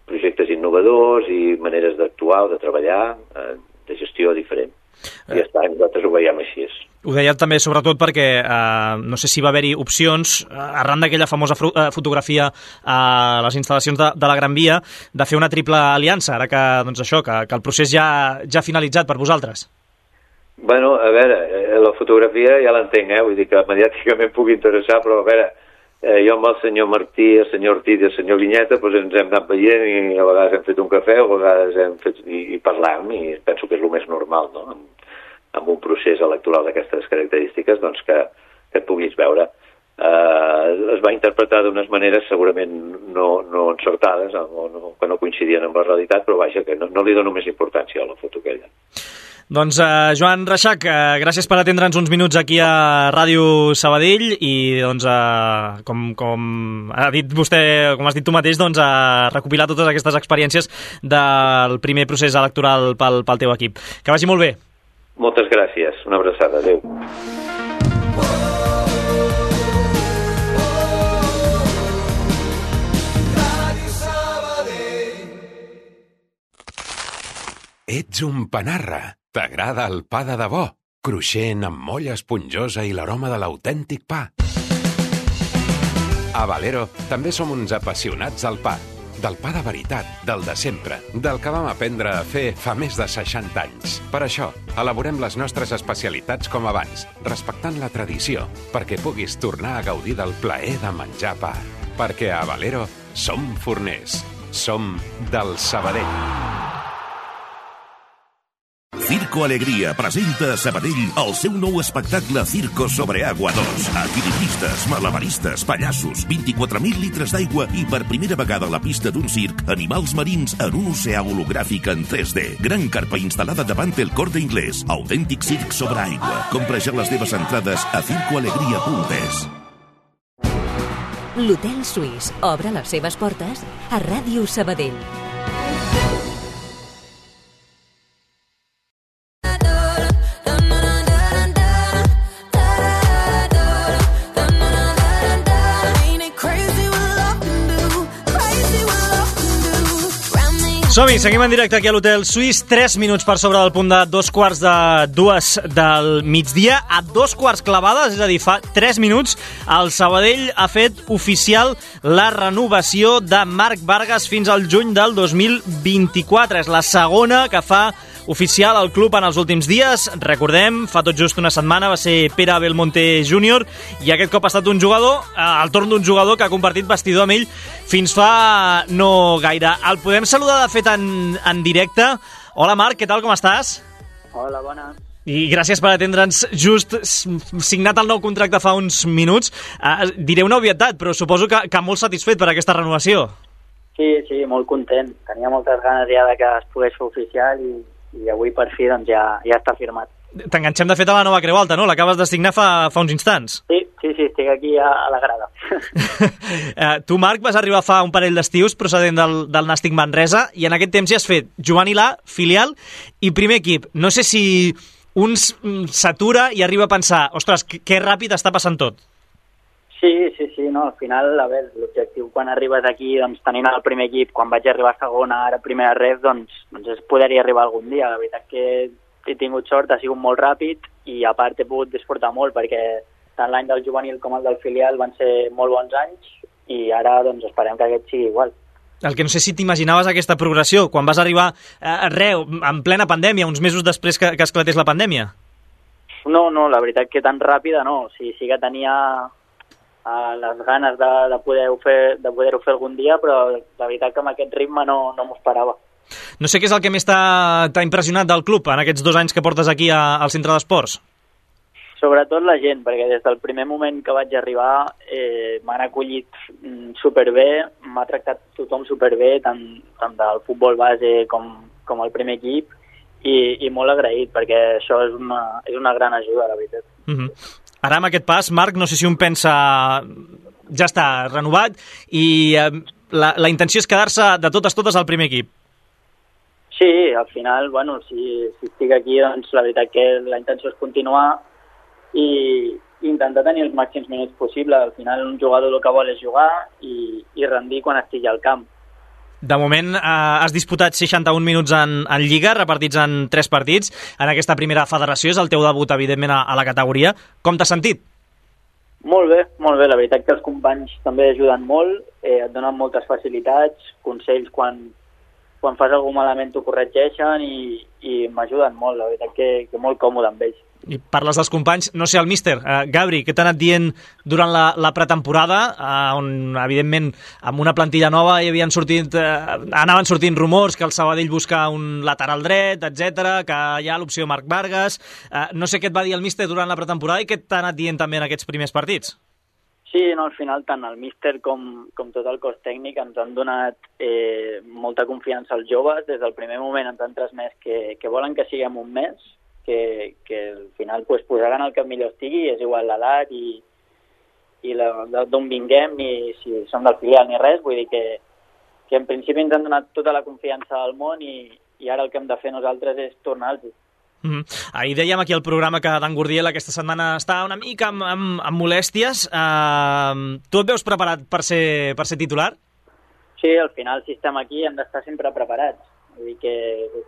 projectes innovadors i maneres d'actuar o de treballar, de gestió diferent. I ja està, nosaltres ho veiem així. Ho deia també sobretot perquè no sé si va haver-hi opcions, arran d'aquella famosa fotografia a les instal·lacions de la Gran Via, de fer una triple aliança, ara que el procés ja ha finalitzat per vosaltres. Bueno, a veure, la fotografia ja l'entenc, vull dir que mediàticament pugui interessar, però a veure, jo amb el senyor Martí, el senyor Ortiz i el senyor Viñeta ens hem anat veient i a vegades hem fet un cafè, a vegades hem fet i parlam, i penso que és el més normal, no?, amb un procés electoral d'aquestes característiques, doncs que et puguis veure. Es va interpretar d'unes maneres segurament no encertades, que no coincidien amb la realitat, però vaja, que no li dono més importància a la foto aquella. Doncs Joan Reixac, gràcies per atendre'ns uns minuts aquí a Ràdio Sabadell i doncs com ha dit vostè, com has dit tu mateix, doncs recopilar totes aquestes experiències del primer procés electoral pel teu equip. Que vagi molt bé. Moltes gràcies, una abraçada, adéu. Ets un panarra. T'agrada el pa de debò? Cruixent, amb molla esponjosa i l'aroma de l'autèntic pa. A Valero també som uns apassionats del pa. Del pa de veritat, del de sempre, del que vam aprendre a fer fa més de 60 anys. Per això, elaborem les nostres especialitats com abans, respectant la tradició, perquè puguis tornar a gaudir del plaer de menjar pa. Perquè a Valero som forners. Som del Sabadell. Circo Alegría presenta a Sabadell el seu nou espectacle Circo sobre Agua 2. Equilibristes, malabaristes, pallassos, 24.000 litres d'aigua i per primera vegada a la pista d'un circ, animals marins en un oceà hologràfic en 3D. Gran carpa instal·lada davant el Corte Inglés. Autèntic circ sobre aigua. Compra ja les teves entrades a circoalegria.es. L'Hotel Suís obre les seves portes a Ràdio Sabadell. Som-hi, seguim en directe aquí a l'Hotel Suís. 3 minuts per sobre del punt de 2:45 del migdia. A 2 clavades, és a dir, fa 3 minuts, el Sabadell ha fet oficial la renovació de Marc Vargas fins al juny del 2024. És la segona que fa oficial el club en els últims dies. Recordem, fa tot just una setmana va ser Pere Belmonte Júnior i aquest cop ha estat un jugador, el torn d'un jugador que ha compartit vestidor amb ell fins fa no gaire. El podem saludar de fet en directe. Hola Marc, què tal, com estàs? Hola, bona. I gràcies per atendre'ns. Just signat el nou contracte fa uns minuts. Diré una obvietat, però suposo que molt satisfet per aquesta renovació. Sí, molt content. Tenia moltes ganes ja de que es pogués fer oficial i avui per fi doncs, ja està firmat. T'enganxem de fet a la nova Creu Alta, no? L'acabes de signar fa uns instants. Sí, estic aquí a la grada. Tu, Marc, vas arribar fa un parell d'estius procedent del Nàstic Manresa i en aquest temps ja has fet juvenil A, filial i primer equip. No sé si un s'atura i arriba a pensar, ostres, que ràpid està passant tot. Sí, no, al final, a veure, l'objectiu quan arribes aquí, doncs tenint el primer equip, quan vaig arribar a segona, ara primera ref, doncs és poder-hi arribar algun dia. La veritat que he tingut sort, ha sigut molt ràpid i a part he pogut disfrutar molt perquè tant l'any del juvenil com el del filial van ser molt bons anys i ara doncs esperem que aquest sigui igual. El que no sé si t'imaginaves aquesta progressió, quan vas arribar en plena pandèmia, uns mesos després que esclatés la pandèmia. No, la veritat que tan ràpida no. Sí que tenia les ganes de poder-ho fer algun dia, però la veritat que amb aquest ritme no m'ho esperava. No sé què és el que més t'ha impressionat del club en aquests 2 anys que portes aquí al centre d'esports. Sobretot la gent, perquè des del primer moment que vaig arribar m'han acollit superbé, m'ha tractat tothom superbé, tant del futbol base com el primer equip, i molt agraït, perquè això és una gran ajuda, la veritat. Ara, amb aquest pas, Marc, no sé si un pensa ja està renovat i la intenció és quedar-se de totes al primer equip. Sí, al final, bueno, si estic aquí, doncs la veritat que la intenció és continuar i intentar tenir els màxims minuts possibles. Al final un jugador el que vol és jugar i rendir quan estigui al camp. De moment has disputat 61 minuts en Lliga, repartits en 3 partits. En aquesta primera federació és el teu debut, evidentment, a la categoria. Com t'has sentit? Molt bé. La veritat que els companys també ajuden molt, et donen moltes facilitats, consells quan fas algun malament t'ho corregeixen i m'ajuden molt, la veritat que molt còmode amb ells. I parles dels companys, no sé, el míster, Gabri, què t'ha anat dient durant la pretemporada, on, evidentment, amb una plantilla nova anaven sortint rumors que el Sabadell busca un lateral dret, etc, que hi ha l'opció Marc Vargas. No sé què et va dir el míster durant la pretemporada i què t'ha anat dient també en aquests primers partits. Sí, no, al final tant el míster com tot el cos tècnic ens han donat molta confiança als joves. Des del primer moment ens han transmès que volen que siguem un mes, que al final posaran el que millor estigui, és igual l'edat i d'on vinguem, ni si som del filial ni res. Vull dir que en principi ens han donat tota la confiança del món i ara el que hem de fer nosaltres és tornar-los. Ahir dèiem aquí al programa que Dan Gurdiel aquesta setmana està una mica amb molèsties. Tu et veus preparat per ser titular? Sí, al final si estem aquí hem d'estar sempre preparats. Vull dir que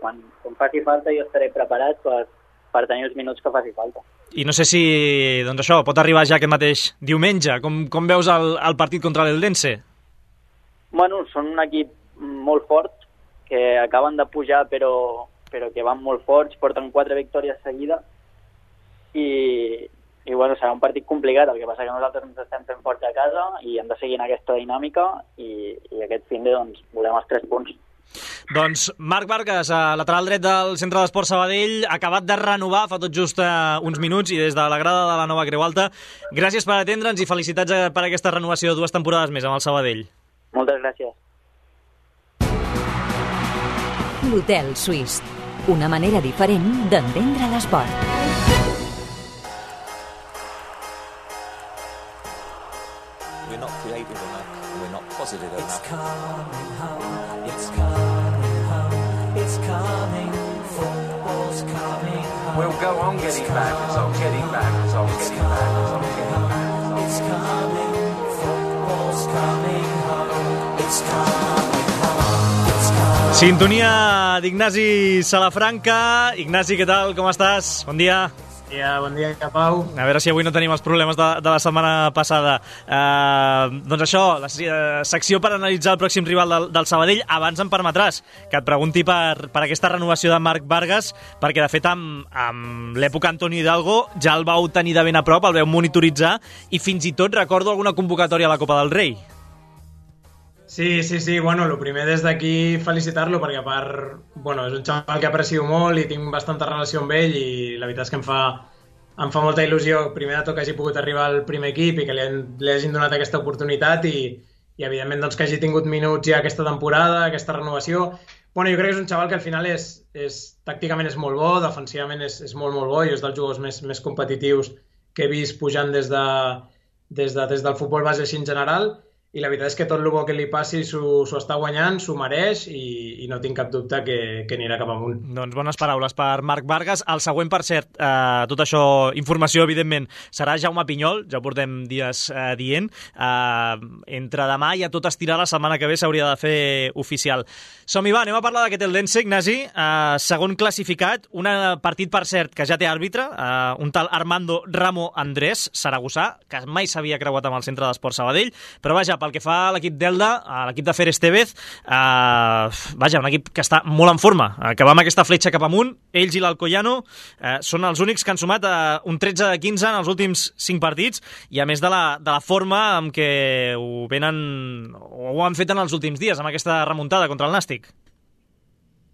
quan faci falta jo estaré preparat per tenir els minuts que faci falta. I no sé si doncs això pot arribar ja aquest mateix diumenge. Com veus el partit contra l'Eldense? Bueno, són un equip molt fort que acaben de pujar però que van molt forts, porten 4 victòries seguides i bueno, serà un partit complicat. El que passa que nosaltres ens estem fent forts a casa i hem de seguir en aquesta dinàmica i aquest fin de doncs, volem els 3 punts. Doncs Marc Vargas, lateral dret del Centre d'Esports Sabadell, acabat de renovar fa tot just uns minuts i des de la grada de la nova Creu Alta. Gràcies per atendre'ns i felicitats per aquesta renovació de 2 temporades més amb el Sabadell. Moltes gràcies. L'Hotel Suís. Una manera diferent d'entendre l'esport. We're not creative enough, we're not positive enough. It's coming home, it's coming home, it's coming, football's coming home. We'll go on getting back, it's on getting back, it's on getting back, it's on getting back. It's coming, football's coming home, it's coming home, it's coming. Sintonia d'Ignasi Salafranca. Ignasi, què tal? Com estàs? Bon dia. Bon dia, Pau. A veure si avui no tenim els problemes de la setmana passada. Doncs això, la secció per analitzar el pròxim rival del Sabadell. Abans em permetràs que et pregunti per aquesta renovació de Marc Vargas, perquè de fet amb l'època Antonio Hidalgo ja el vau tenir de ben a prop, el vau monitoritzar i fins i tot recordo alguna convocatòria a la Copa del Rei. Sí. Bueno, el primer des d'aquí felicitar-lo perquè a part, bueno, és un xaval que aprecio molt i tinc bastanta relació amb ell i la veritat és que em fa molta il·lusió primer de tot que hagi pogut arribar al primer equip i que li hagin donat aquesta oportunitat i evidentment doncs, que hagi tingut minuts ja aquesta temporada, aquesta renovació. Bueno, jo crec que és un xaval que al final tàcticament és molt bo, defensivament és molt bo i és dels jugadors més competitius que he vist pujant des del futbol base així en general. I la veritat és que tot el bo que li passi s'ho està guanyant, s'ho mereix i no tinc cap dubte que anirà cap amunt. Doncs bones paraules per Marc Vargas. El següent, per cert, tot això, informació, evidentment, serà Jaume Pinyol, ja portem dies dient. Entre demà i a tot estirar la setmana que ve s'hauria de fer oficial. Som-hi, va, anem a parlar d'aquest Eldense, Ignasi. Segon classificat, un partit, per cert, que ja té àrbitre, un tal Armando Ramo Andrés, saragossà, que mai s'havia creuat amb el Centre d'Esport Sabadell, però vaja, pel que fa a l'equip d'Elda, a l'equip de Fer Estevez, vaja, un equip que està molt en forma, que va amb aquesta fletxa cap amunt. Ells i l'Alcoyano són els únics que han sumat un 13 de 15 en els últims 5 partits, i a més de la forma amb què ho han fet en els últims dies, amb aquesta remuntada contra el Nàstic.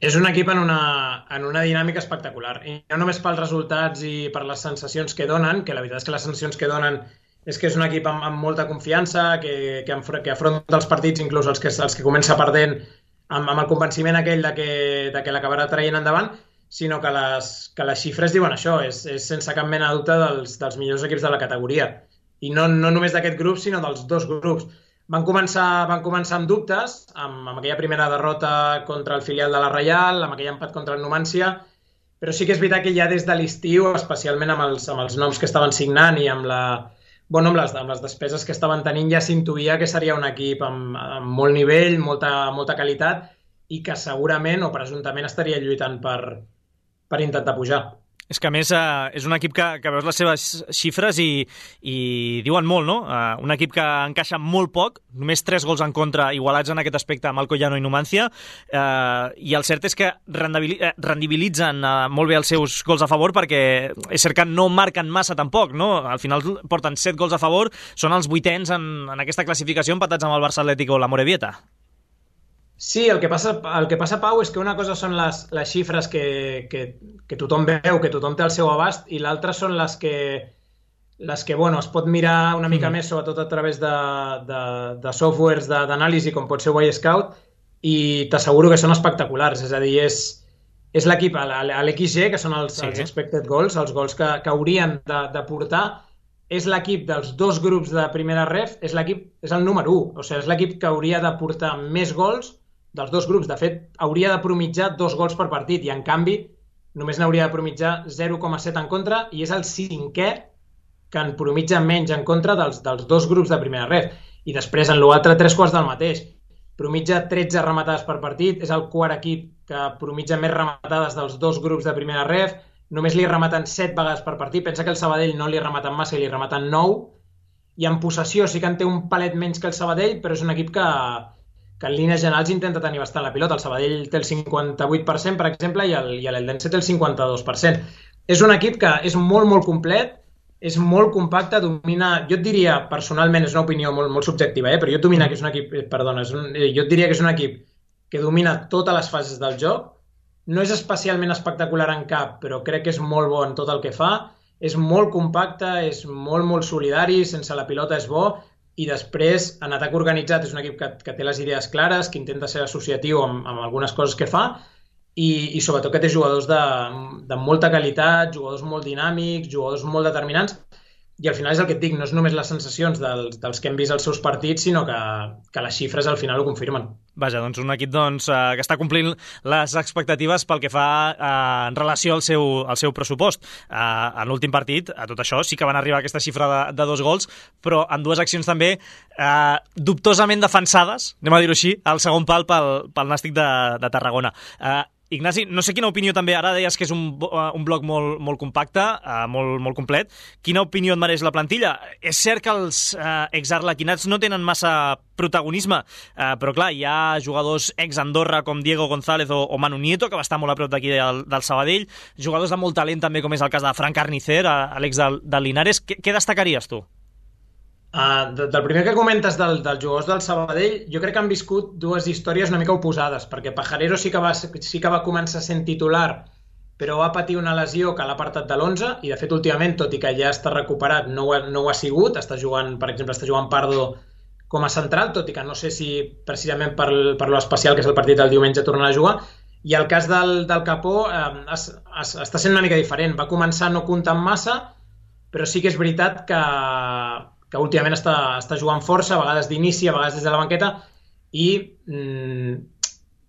És un equip en una dinàmica espectacular, i no només pels resultats i per les sensacions que donen, que la veritat és que les sensacions que donen és que és un equip amb molta confiança, que afronta els partits, inclús els que comença perdent, amb el convenciment aquell de que l'acabarà traient endavant, sinó que les xifres diuen això, és sense cap mena de dubte dels millors equips de la categoria. I no només d'aquest grup, sinó dels dos grups. Van començar amb dubtes, amb aquella primera derrota contra el filial de la Reial, amb aquell empat contra el Numancia, però sí que és veritat que ja des de l'estiu, especialment amb els noms que estaven signant i amb les despeses que estaven tenint, ja s'intuïa que seria un equip amb molt nivell, molta qualitat, i que segurament o presumptament estaria lluitant per intentar pujar. És que a més és un equip que veus les seves xifres i diuen molt, no? Un equip que encaixa molt poc, només 3 gols en contra igualats en aquest aspecte amb Alcoyano i Numancia, i el cert és que rendibilitzen molt bé els seus gols a favor, perquè és cert que no marquen massa tampoc, no? Al final porten 7 gols a favor, són els 8ens en aquesta classificació, empatats amb el Barça Atlético o la Morevieta. Sí, el que passa, Pau, és que una cosa són les xifres que tothom veu, que tothom té al seu abast, i l'altra són les que bueno, es pot mirar una mica més, sobretot a través de softwares d'anàlisi, com pot ser Scout, i t'asseguro que són espectaculars. És a dir, és l'equip, l'XG, que són els expected goals, els gols que haurien de portar, és l'equip dels dos grups de primera ref, és el número 1, o sigui, és l'equip que hauria de portar més gols dels dos grups. De fet, hauria de promitjar 2 gols per partit i, en canvi, només n'hauria de promitjar 0,7 en contra, i és el 5è que en promitja menys en contra dels dos grups de primera ref. I després, en l'altre, 3 quarts del mateix. Promitja 13 rematades per partit, és el quart equip que promitja més rematades dels dos grups de primera ref, només li rematen 7 vegades per partit. Pensa que el Sabadell no li rematen massa i li rematen 9, i en possessió sí que en té un palet menys que el Sabadell, però és un equip que en línies generals intenta tenir bastant la pilota. El Sabadell té el 58%, per exemple, i l'Eldense té el 52%. És un equip que és molt complet, és molt compacte, domina, jo et diria, personalment, és una opinió molt subjectiva, però jo et diria que és un equip que domina totes les fases del joc. No és especialment espectacular en cap, però crec que és molt bo en tot el que fa. És molt compacte, és molt solidari, sense la pilota és bo, i després, en atac organitzat, és un equip que té les idees clares, que intenta ser associatiu amb algunes coses que fa, i sobretot que té jugadors de molta qualitat, jugadors molt dinàmics, jugadors molt determinants. i al final és el que et dic, no és només les sensacions dels que hem vist els seus partits, sinó que les xifres al final ho confirmen. Vaja, doncs un equip que està complint les expectatives pel que fa en relació al seu pressupost. En l'últim partit, a tot això, sí que van arribar a aquesta xifra de 2 gols, però en 2 accions també dubtosament defensades, anem a dir-ho així, al segon pal pel Nàstic de Tarragona. Ignasi, no sé quina opinió també, ara deies que és un bloc molt compacte, molt complet. Quina opinió et mereix la plantilla? És cert que els exarlequinats no tenen massa protagonisme, però clar, hi ha jugadors ex-Andorra com Diego González o Manu Nieto, que va estar molt a prop d'aquí del Sabadell, jugadors de molt talent també, com és el cas de Fran Carnicer, l'ex del Linares. Què destacaries tu? Del primer que comentes dels jugadors del Sabadell, jo crec que han viscut 2 històries una mica oposades, perquè Pajarero sí que va començar sent titular, però va patir una lesió que l'ha apartat de l'11, i de fet últimament, tot i que ja està recuperat, no ho ha sigut. Per exemple, està jugant Pardo com a central, tot i que no sé si precisament per l'especial que és el partit del diumenge tornarà a jugar. I el cas del Capó està sent una mica diferent. Va començar no comptant massa, però sí que és veritat que últimament està jugant força, a vegades d'inici, a vegades des de la banqueta, i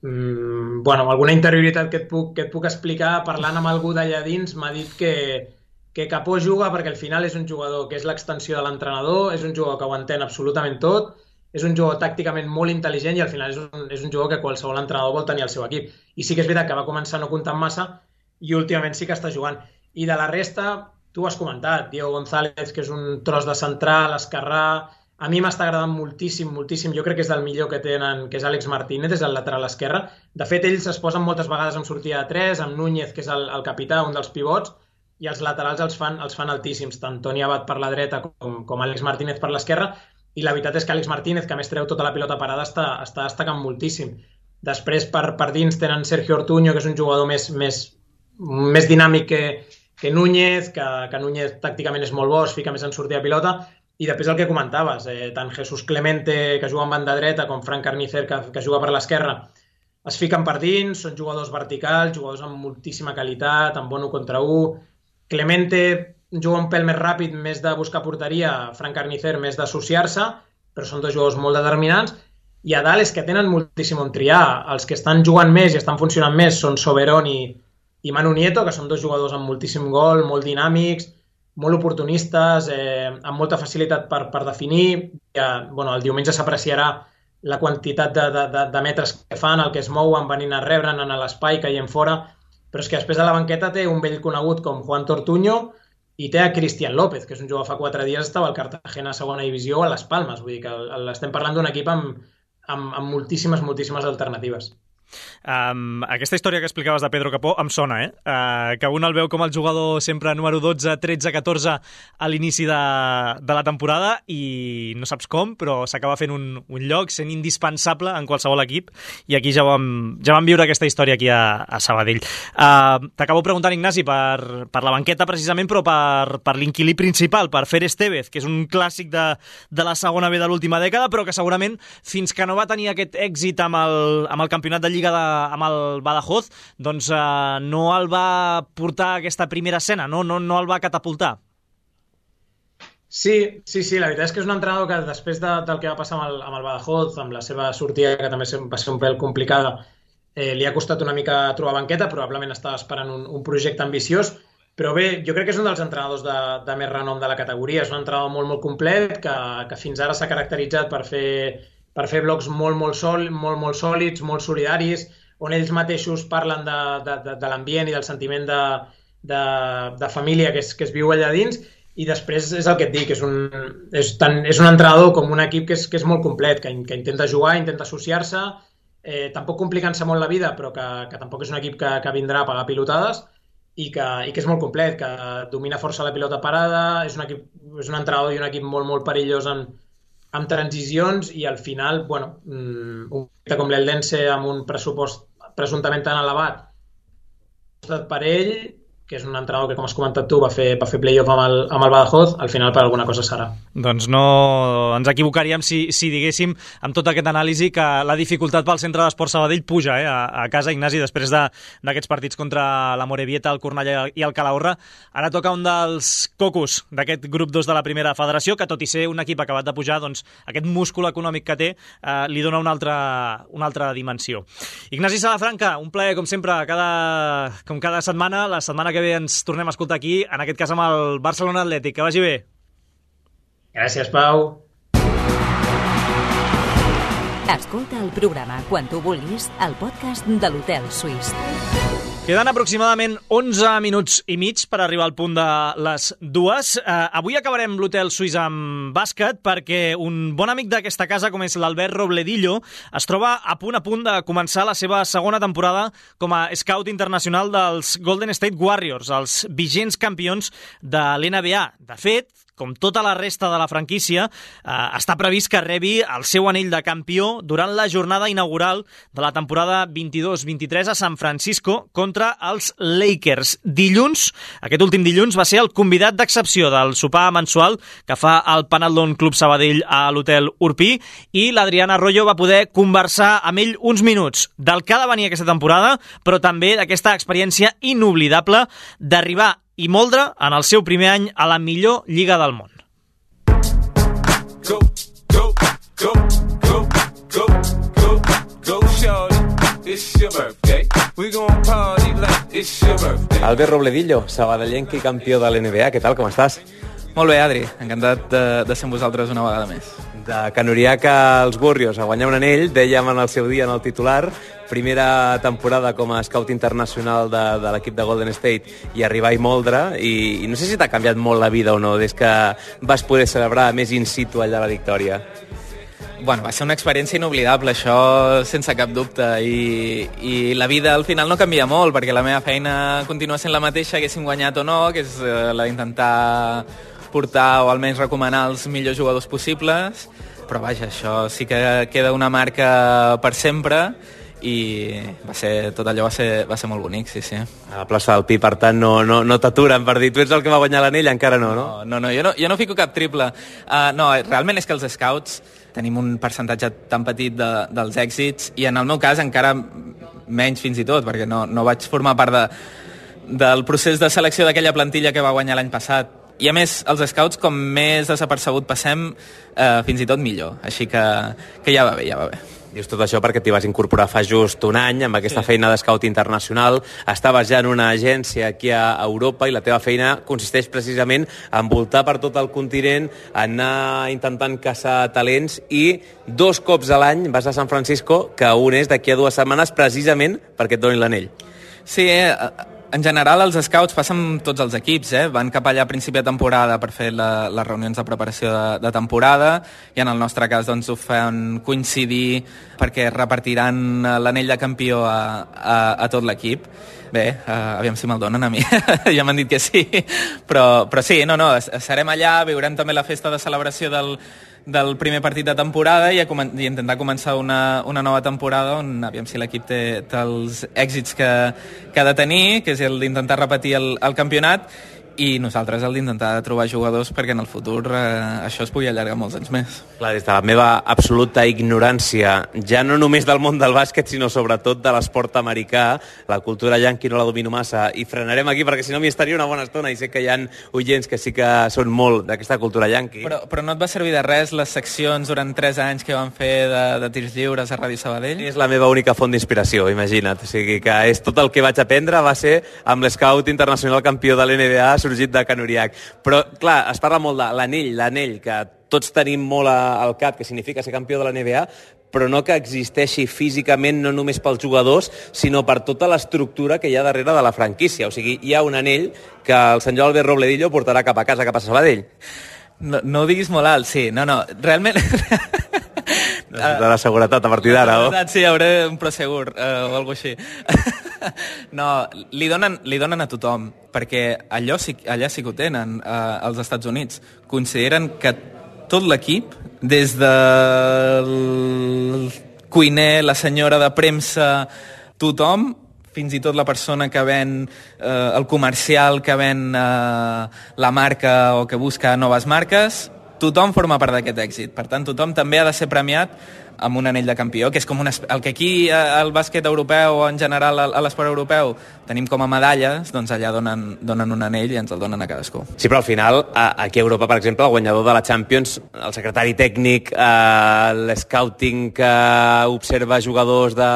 alguna interioritat que et puc explicar parlant amb algú d'allà dins m'ha dit que Capó juga perquè al final és un jugador que és l'extensió de l'entrenador, és un jugador que ho entén absolutament tot, és un jugador tàcticament molt intel·ligent i al final és un jugador que qualsevol entrenador vol tenir al seu equip. I sí que és veritat que va començar no comptant massa i últimament sí que està jugant. I de la resta, tu has comentat, Diego González, que és un tros de central, esquerrà. A mi m'està agradant moltíssim. Jo crec que és del millor que tenen, que és Àlex Martínez, és el lateral esquerre. De fet, ells es posen moltes vegades en sortida de 3, amb Núñez, que és el capità, un dels pivots, i els laterals els fan altíssims, tant Toni Abad per la dreta com Àlex Martínez per l'esquerra, i la veritat és que Àlex Martínez, que a més treu tota la pilota parada, està destacant moltíssim. Després, per dins, tenen Sergio Ortuño, que és un jugador més dinàmic que Núñez, que Núñez tàcticament és molt bo, es fica més en sortida de pilota, i després el que comentaves, tant Jesús Clemente, que juga en banda dreta, com Fran Carnicer, que juga per l'esquerra, es fiquen per dins, són jugadors verticals, jugadors amb moltíssima qualitat, amb bon 1 contra 1. Clemente juga un pèl més ràpid, més de buscar porteria, Fran Carnicer més d'associar-se, però són 2 jugadors molt determinants, i a dalt és que tenen moltíssim on triar. Els que estan jugant més i estan funcionant més són Soberón i Manu Nieto, que són 2 jugadors amb moltíssim gol, molt dinàmics, molt oportunistes, amb molta facilitat per definir. El diumenge s'apreciarà la quantitat de metres que fan, el que es mouen, venint a rebre, anant a l'espai, caient fora, però és que després de la banqueta té un vell conegut com Juan Tortuño i té a Cristian López, que és un jugador fa 4 dies estava al Cartagena segona divisió a les Palmes. Vull dir que estem parlant d'un equip amb moltíssimes alternatives. Aquesta història que explicaves de Pedro Capó em sona, que un el veu com el jugador sempre número 12, 13, 14 a l'inici de la temporada i no saps com, però s'acaba fent un lloc, sent indispensable en qualsevol equip, i aquí ja vam viure aquesta història aquí a Sabadell. T'acabo preguntant, Ignasi, per la banqueta precisament, però per l'inquilí principal, per Fer Estevez, que és un clàssic de la segona B de l'última dècada, però que segurament fins que no va tenir aquest èxit amb el campionat de Lliga amb el Badajoz, doncs no el va portar a aquesta primera escena, no el va catapultar. Sí, la veritat és que és un entrenador que després del que va passar amb el Badajoz, amb la seva sortida, que també va ser un pèl complicada, li ha costat una mica trobar banqueta, probablement estava esperant un projecte ambiciós, però bé, jo crec que és un dels entrenadors de més renom de la categoria. És un entrenador molt complet, que fins ara s'ha caracteritzat per fer blocs molt sòlids, molt solidaris, on ells mateixos parlen de l'ambient i del sentiment de família que es viu allà dins, i després és el que et dic, és un entrenador com un equip que és molt complet, que intenta jugar, intenta associar-se, tampoc complicant-se molt la vida, però que tampoc és un equip que vindrà a pagar pilotades, i que és molt complet, que domina força la pilota parada, és un entrenador i un equip molt perillós amb transicions, i al final, un equip com l'Eldense amb un pressupost presumptament tan elevat per ell, que és un entrenador que, com has comentat tu, va fer playoff amb el Badajoz, al final per alguna cosa serà. Doncs no ens equivocaríem si diguéssim amb tot aquest anàlisi que la dificultat pel centre d'Esport Sabadell puja a casa, Ignasi, després d'aquests partits contra la Morevieta, el Cornellà i el Calahorra. Ara toca un dels cocos d'aquest grup 2 de la primera federació, que tot i ser un equip acabat de pujar, doncs aquest múscul econòmic que té li dona una altra dimensió. Ignasi Salafranca, un plaer, com sempre, com cada setmana. La setmana que ve ens tornem a escoltar aquí, en aquest cas amb el Barcelona Atlètic. Que vagi bé. Gràcies, Pau. Escolta el programa quan tu vulguis al podcast de l'Hotel Suís. Queden aproximadament 11 minuts i mig per arribar al punt de les 2. Avui acabarem l'Hotel Suís amb bàsquet perquè un bon amic d'aquesta casa, com és l'Albert Robledillo, es troba a punt de començar la seva segona temporada com a scout internacional dels Golden State Warriors, els vigents campions de l'NBA. De fet, com tota la resta de la franquícia, està previst que rebi el seu anell de campió durant la jornada inaugural de la temporada 22-23 a San Francisco contra els Lakers. Aquest últim dilluns, va ser el convidat d'excepció del sopar mensual que fa el Panathlon Club Sabadell a l'Hotel Urpí, i l'Adriana Arroyo va poder conversar amb ell uns minuts del que ha de venir aquesta temporada, però també d'aquesta experiència inoblidable d'arribar i moldre en el seu primer any a la millor lliga del món. Albert Robledillo, sabadellenc i campió de l'NBA, què tal, com estàs? Molt bé, Adri, encantat de ser amb vosaltres una vegada més. De Canuriac als Warriors a guanyar un anell, dèiem en el seu dia en el titular, primera temporada com a scout internacional de l'equip de Golden State i arribar i moldre, i no sé si t'ha canviat molt la vida o no des que vas poder celebrar més in situ allà la victòria. Bueno, va ser una experiència inoblidable, això sense cap dubte, i la vida al final no canvia molt, perquè la meva feina continua sent la mateixa, haguéssim guanyat o no, que és la d'intentar portar o almenys recomanar els millors jugadors possibles, però vaja, això sí que queda una marca per sempre, i tot allò va ser molt bonic, sí. A la plaça del Pi, per tant, no t'aturen per dir tu ets el que va guanyar l'anell, encara no? No, jo no fico cap triple. No, realment és que els scouts tenim un percentatge tan petit dels èxits, i en el meu cas encara menys fins i tot, perquè no vaig formar part del procés de selecció d'aquella plantilla que va guanyar l'any passat. I a més, els scouts, com més desapercebut passem, fins i tot millor. Així que ja va bé. Dius tot això perquè t'hi vas incorporar fa just un any amb aquesta feina d'escout internacional. Estaves ja en una agència aquí a Europa i la teva feina consisteix precisament en voltar per tot el continent, anar intentant caçar talents, i 2 cops a l'any vas a San Francisco, que un és d'aquí a 2 setmanes precisament perquè et donin l'anell. Sí, en general els scouts passen amb tots els equips, van cap allà a principi de temporada per fer les reunions de preparació de temporada, i en el nostre cas doncs, ho fan coincidir perquè repartiran l'anell de campió a tot l'equip. Bé, aviam si me'l donen a mi, ja m'han dit que sí, però sí, serem allà, viurem també la festa de celebració del primer partit de temporada i intentar començar una nova temporada on aviam si l'equip té els èxits que ha de tenir, que és el d'intentar repetir el campionat, i nosaltres el d'intentar trobar jugadors perquè en el futur això es pugui allargar molts anys més. Clar, des de la meva absoluta ignorància, ja no només del món del bàsquet, sinó sobretot de l'esport americà, la cultura yanqui no la domino massa, i frenarem aquí perquè si no m'hi estaria una bona estona, i sé que hi ha oients que sí que són molt d'aquesta cultura yanqui. Però no et va servir de res les seccions durant 3 anys que van fer de tirs lliures a Ràdio Sabadell? És la meva única font d'inspiració, imagina't. O sigui que és tot el que vaig aprendre va ser amb l'escout internacional campió de l'NBA sorgit de Canuriac. Però, clar, es parla molt de l'anell, que tots tenim molt al cap, que significa ser campió de la NBA, però no que existeixi físicament no només pels jugadors, sinó per tota l'estructura que hi ha darrere de la franquícia. O sigui, hi ha un anell que el senyor Albert Robledillo portarà cap a casa, cap a Sabadell. No ho diguis molt alt, sí. No, realment... De la seguretat a partir d'ara, o? Sí, hauré un prosegur o alguna així. No, li donen a tothom, perquè allà sí que ho tenen als Estats Units. Consideren que tot l'equip, des del cuiner, la senyora de premsa, tothom fins i tot la persona que ven el comercial, que ven la marca o que busca noves marques, tothom forma part d'aquest èxit. Per tant, tothom també ha de ser premiat amb un anell de campió, que és com el que aquí al bàsquet europeu o en general a l'esport europeu tenim com a medalles, doncs allà donen un anell i ens el donen a cadascú. Sí, però al final, aquí a Europa, per exemple, el guanyador de la Champions, el secretari tècnic, l'scouting que observa jugadors de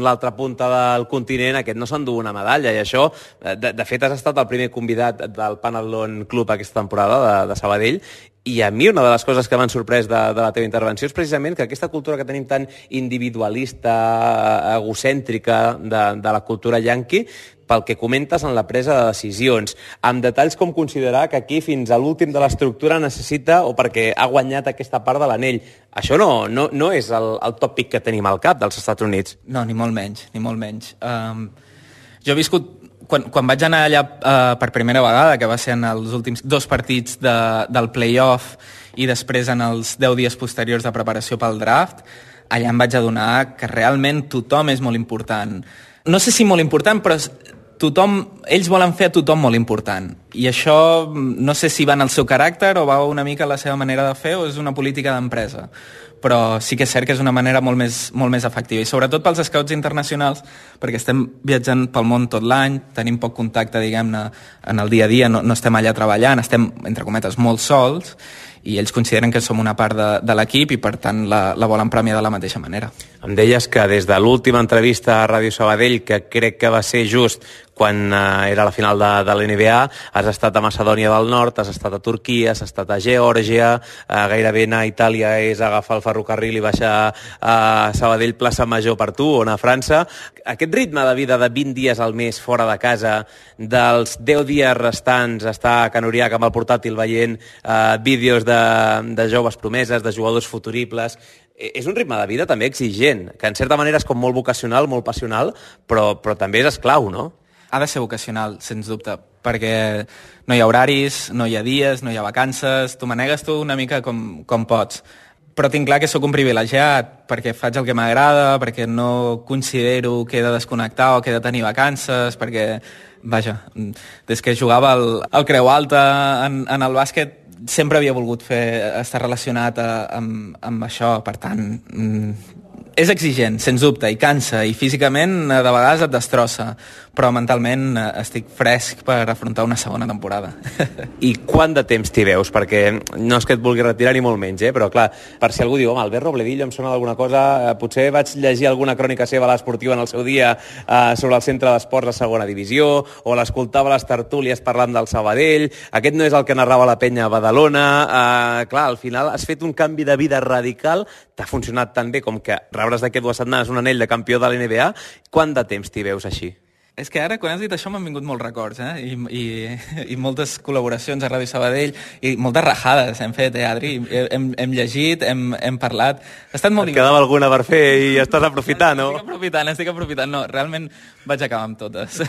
l'altra punta del continent, aquest no s'endú una medalla, i això, de fet, has estat el primer convidat del Panathlon Club aquesta temporada de Sabadell, i a mi una de les coses que m'han sorprès de la teva intervenció és precisament que aquesta cultura que tenim tan individualista, egocèntrica de la cultura yanqui, pel que comentes en la presa de decisions, amb detalls com considerar que aquí fins a l'últim de l'estructura necessita o perquè ha guanyat aquesta part de l'anell. Això no és el tòpic que tenim al cap dels Estats Units. No, ni molt menys, ni molt menys. Jo he viscut quan vaig anar allà per primera vegada, que va ser en els últims 2 partits del play-off i després en els 10 dies posteriors de preparació pel draft, allà em vaig adonar que realment tothom és molt important. No sé si molt important, però ells volen fer a tothom molt important. I això no sé si va en el seu caràcter o va una mica a la seva manera de fer o és una política d'empresa. Però sí que és cert que és una manera molt més efectiva. I sobretot pels scouts internacionals, perquè estem viatjant pel món tot l'any, tenim poc contacte, diguem-ne, en el dia a dia, no estem allà treballant, estem, entre cometes, molt sols, i ells consideren que som una part de l'equip i, per tant, la volen premiar de la mateixa manera. Em deies que des de l'última entrevista a Ràdio Sabadell, que crec que va ser just quan era la final de l'NBA, has estat a Macedònia del Nord, has estat a Turquia, has estat a Geòrgia, gairebé anar a Itàlia és agafar el ferrocarril i baixar a Sabadell plaça Major per tu, o anar a França. Aquest ritme de vida de 20 dies al mes fora de casa, dels 10 dies restants estar a Can Uriac amb el portàtil veient vídeos de joves promeses, de jugadors futuribles, és un ritme de vida també exigent, que en certa manera és com molt vocacional, molt passional, però també és esclau, no? Ha de ser vocacional, sens dubte, perquè no hi ha horaris, no hi ha dies, no hi ha vacances, tu manegues tu una mica com pots. Però tinc clar que sóc un privilegiat, perquè faig el que m'agrada, perquè no considero que he de desconnectar o que he de tenir vacances, perquè, vaja, des que jugava al Creu Alta en el bàsquet, sempre havia volgut estar relacionat amb això, per tant, és exigent, sens dubte, i cansa, i físicament de vegades et destrossa, però mentalment estic fresc per afrontar una segona temporada. I quant de temps t'hi veus? Perquè no és que et vulgui retirar ni molt menys, però clar, per si algú diu, home, Albert Robledillo em sona d'alguna cosa, potser vaig llegir alguna crònica seva a l'Esportiva en el seu dia sobre el centre d'esports de segona divisió, o l'escoltava a les tertúlies parlant del Sabadell, aquest no és el que narrava la penya a Badalona, clar, al final has fet un canvi de vida radical, t'ha funcionat tan bé com que rebràs d'aquí 2 setmanes un anell de campió de l'NBA. Quant de temps t'hi veus així? És que ara, quan has dit això, m'han vingut molts records, i moltes col·laboracions a Ràdio Sabadell, i moltes rajades hem fet, Adri? Hem llegit, hem parlat. Ha estat molt divertit. Et quedava alguna per fer i estàs aprofitant, no? Estic aprofitant. No, realment vaig acabar amb totes.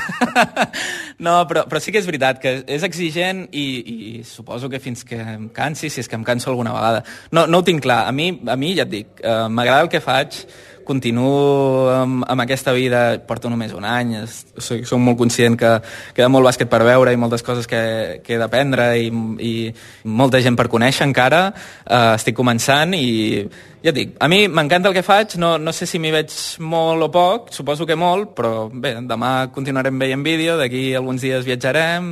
No, però sí que és veritat que és exigent i suposo que fins que em cansi, si és que em canso alguna vegada. No ho tinc clar. A mi ja et dic, m'agrada el que faig, continuo amb aquesta vida, porto només un any, soc molt conscient que queda molt bàsquet per veure i moltes coses que he d'aprendre i molta gent per conèixer encara, estic començant i ja et dic, a mi m'encanta el que faig, no sé si m'hi veig molt o poc, suposo que molt, però bé, demà continuarem veient vídeo, d'aquí alguns dies viatjarem,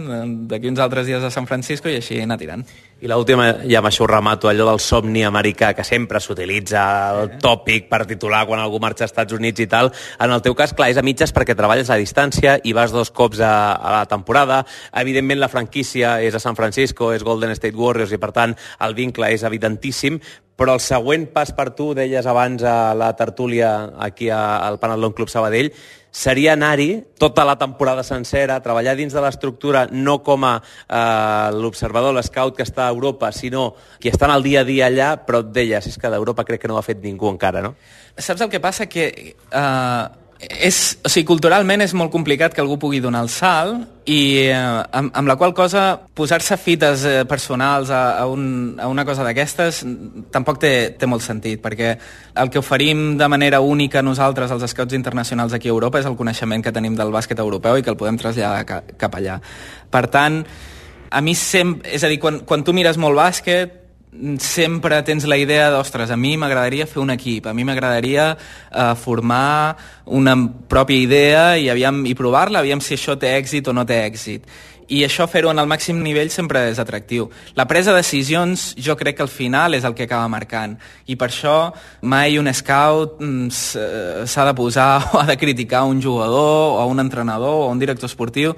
d'aquí uns altres dies a San Francisco i així anar tirant. I l'última, ja amb això ho remato, allò del somni americà, que sempre s'utilitza el tòpic per titular quan algú marxa als Estats Units i tal. En el teu cas, clar, és a mitges perquè treballes a distància i vas 2 cops a la temporada. Evidentment, la franquícia és a San Francisco, és Golden State Warriors i, per tant, el vincle és evidentíssim. Però el següent pas per tu, deies abans a la tertúlia aquí al Panathlon Club Sabadell, seria anar-hi tota la temporada sencera, treballar dins de l'estructura, no com a l'observador, l'escout que està a Europa, sinó qui està en el dia a dia allà, però et deies, és que d'Europa crec que no ho ha fet ningú encara, no? Saps el que passa? Que O sigui, culturalment és molt complicat que algú pugui donar el salt i amb la qual cosa posar-se fites personals a una cosa d'aquestes tampoc té molt sentit, perquè el que oferim de manera única nosaltres als scouts internacionals aquí a Europa és el coneixement que tenim del bàsquet europeu i que el podem traslladar cap allà. Per tant, a mi sempre... És a dir, quan tu mires molt bàsquet, sempre tens la idea d'ostres, a mi m'agradaria fer un equip, a mi m'agradaria formar una pròpia idea i provar-la, aviam si això té èxit o no té èxit. I això, fer-ho en el màxim nivell, sempre és atractiu. La presa de decisions, jo crec que al final és el que acaba marcant. I per això mai un scout s'ha de posar o ha de criticar un jugador o un entrenador o un director esportiu,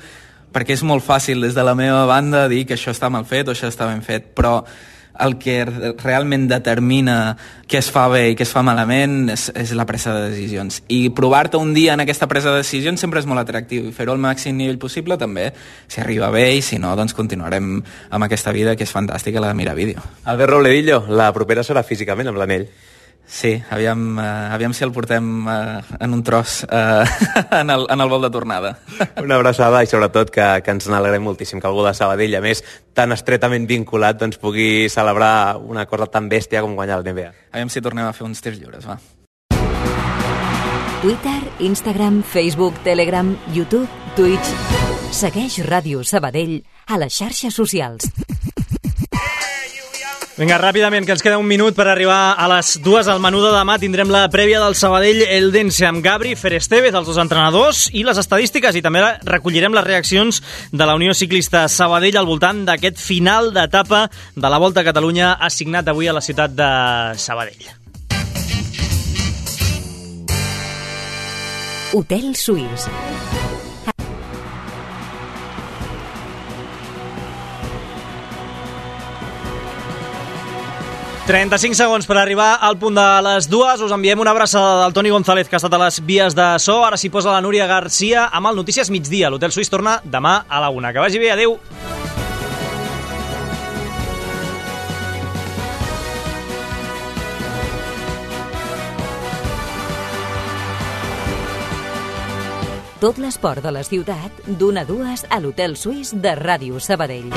perquè és molt fàcil des de la meva banda dir que això està mal fet o això està ben fet, però el que realment determina què es fa bé i què es fa malament és la presa de decisions. I provar-te un dia en aquesta presa de decisions sempre és molt atractiu i fer-ho al màxim nivell possible també, si arriba bé, i si no, doncs continuarem amb aquesta vida que és fantàstica, la de mirar vídeo. Albert Robledillo, la propera serà físicament amb l'anell. Sí, aviam si el portem en un tros en el vol de tornada. Una abraçada i sobretot que ens n'alegrem moltíssim que algú de Sabadell, a més tan estretament vinculat, doncs pugui celebrar una cosa tan bèstia com guanyar el NBA. Aviam si tornem a fer uns tirs lliures, va. Twitter, Instagram, Facebook, Telegram, YouTube, Twitch. Segueix Ràdio Sabadell a les xarxes socials. Vinga, ràpidament, que ens queda un minut per arribar a les 2 al menú de demà. Tindrem la prèvia del Sabadell Eldense amb Gabri, Fer Estevez, els dos entrenadors, i les estadístiques, i també recollirem les reaccions de la Unió Ciclista Sabadell al voltant d'aquest final d'etapa de la Volta a Catalunya assignat avui a la ciutat de Sabadell. Hotel Suís. 35 segons per arribar al punt de les 2. Us enviem una abraçada del Toni González, que ha estat a les vies de so. Ara s'hi posa la Núria Garcia amb el Notícies Migdia. L'Hotel Suís torna demà a la 1. Que vagi bé, adeu. Tot l'esport de la ciutat, d'1 a 2 a l'Hotel Suís de Ràdio Sabadell.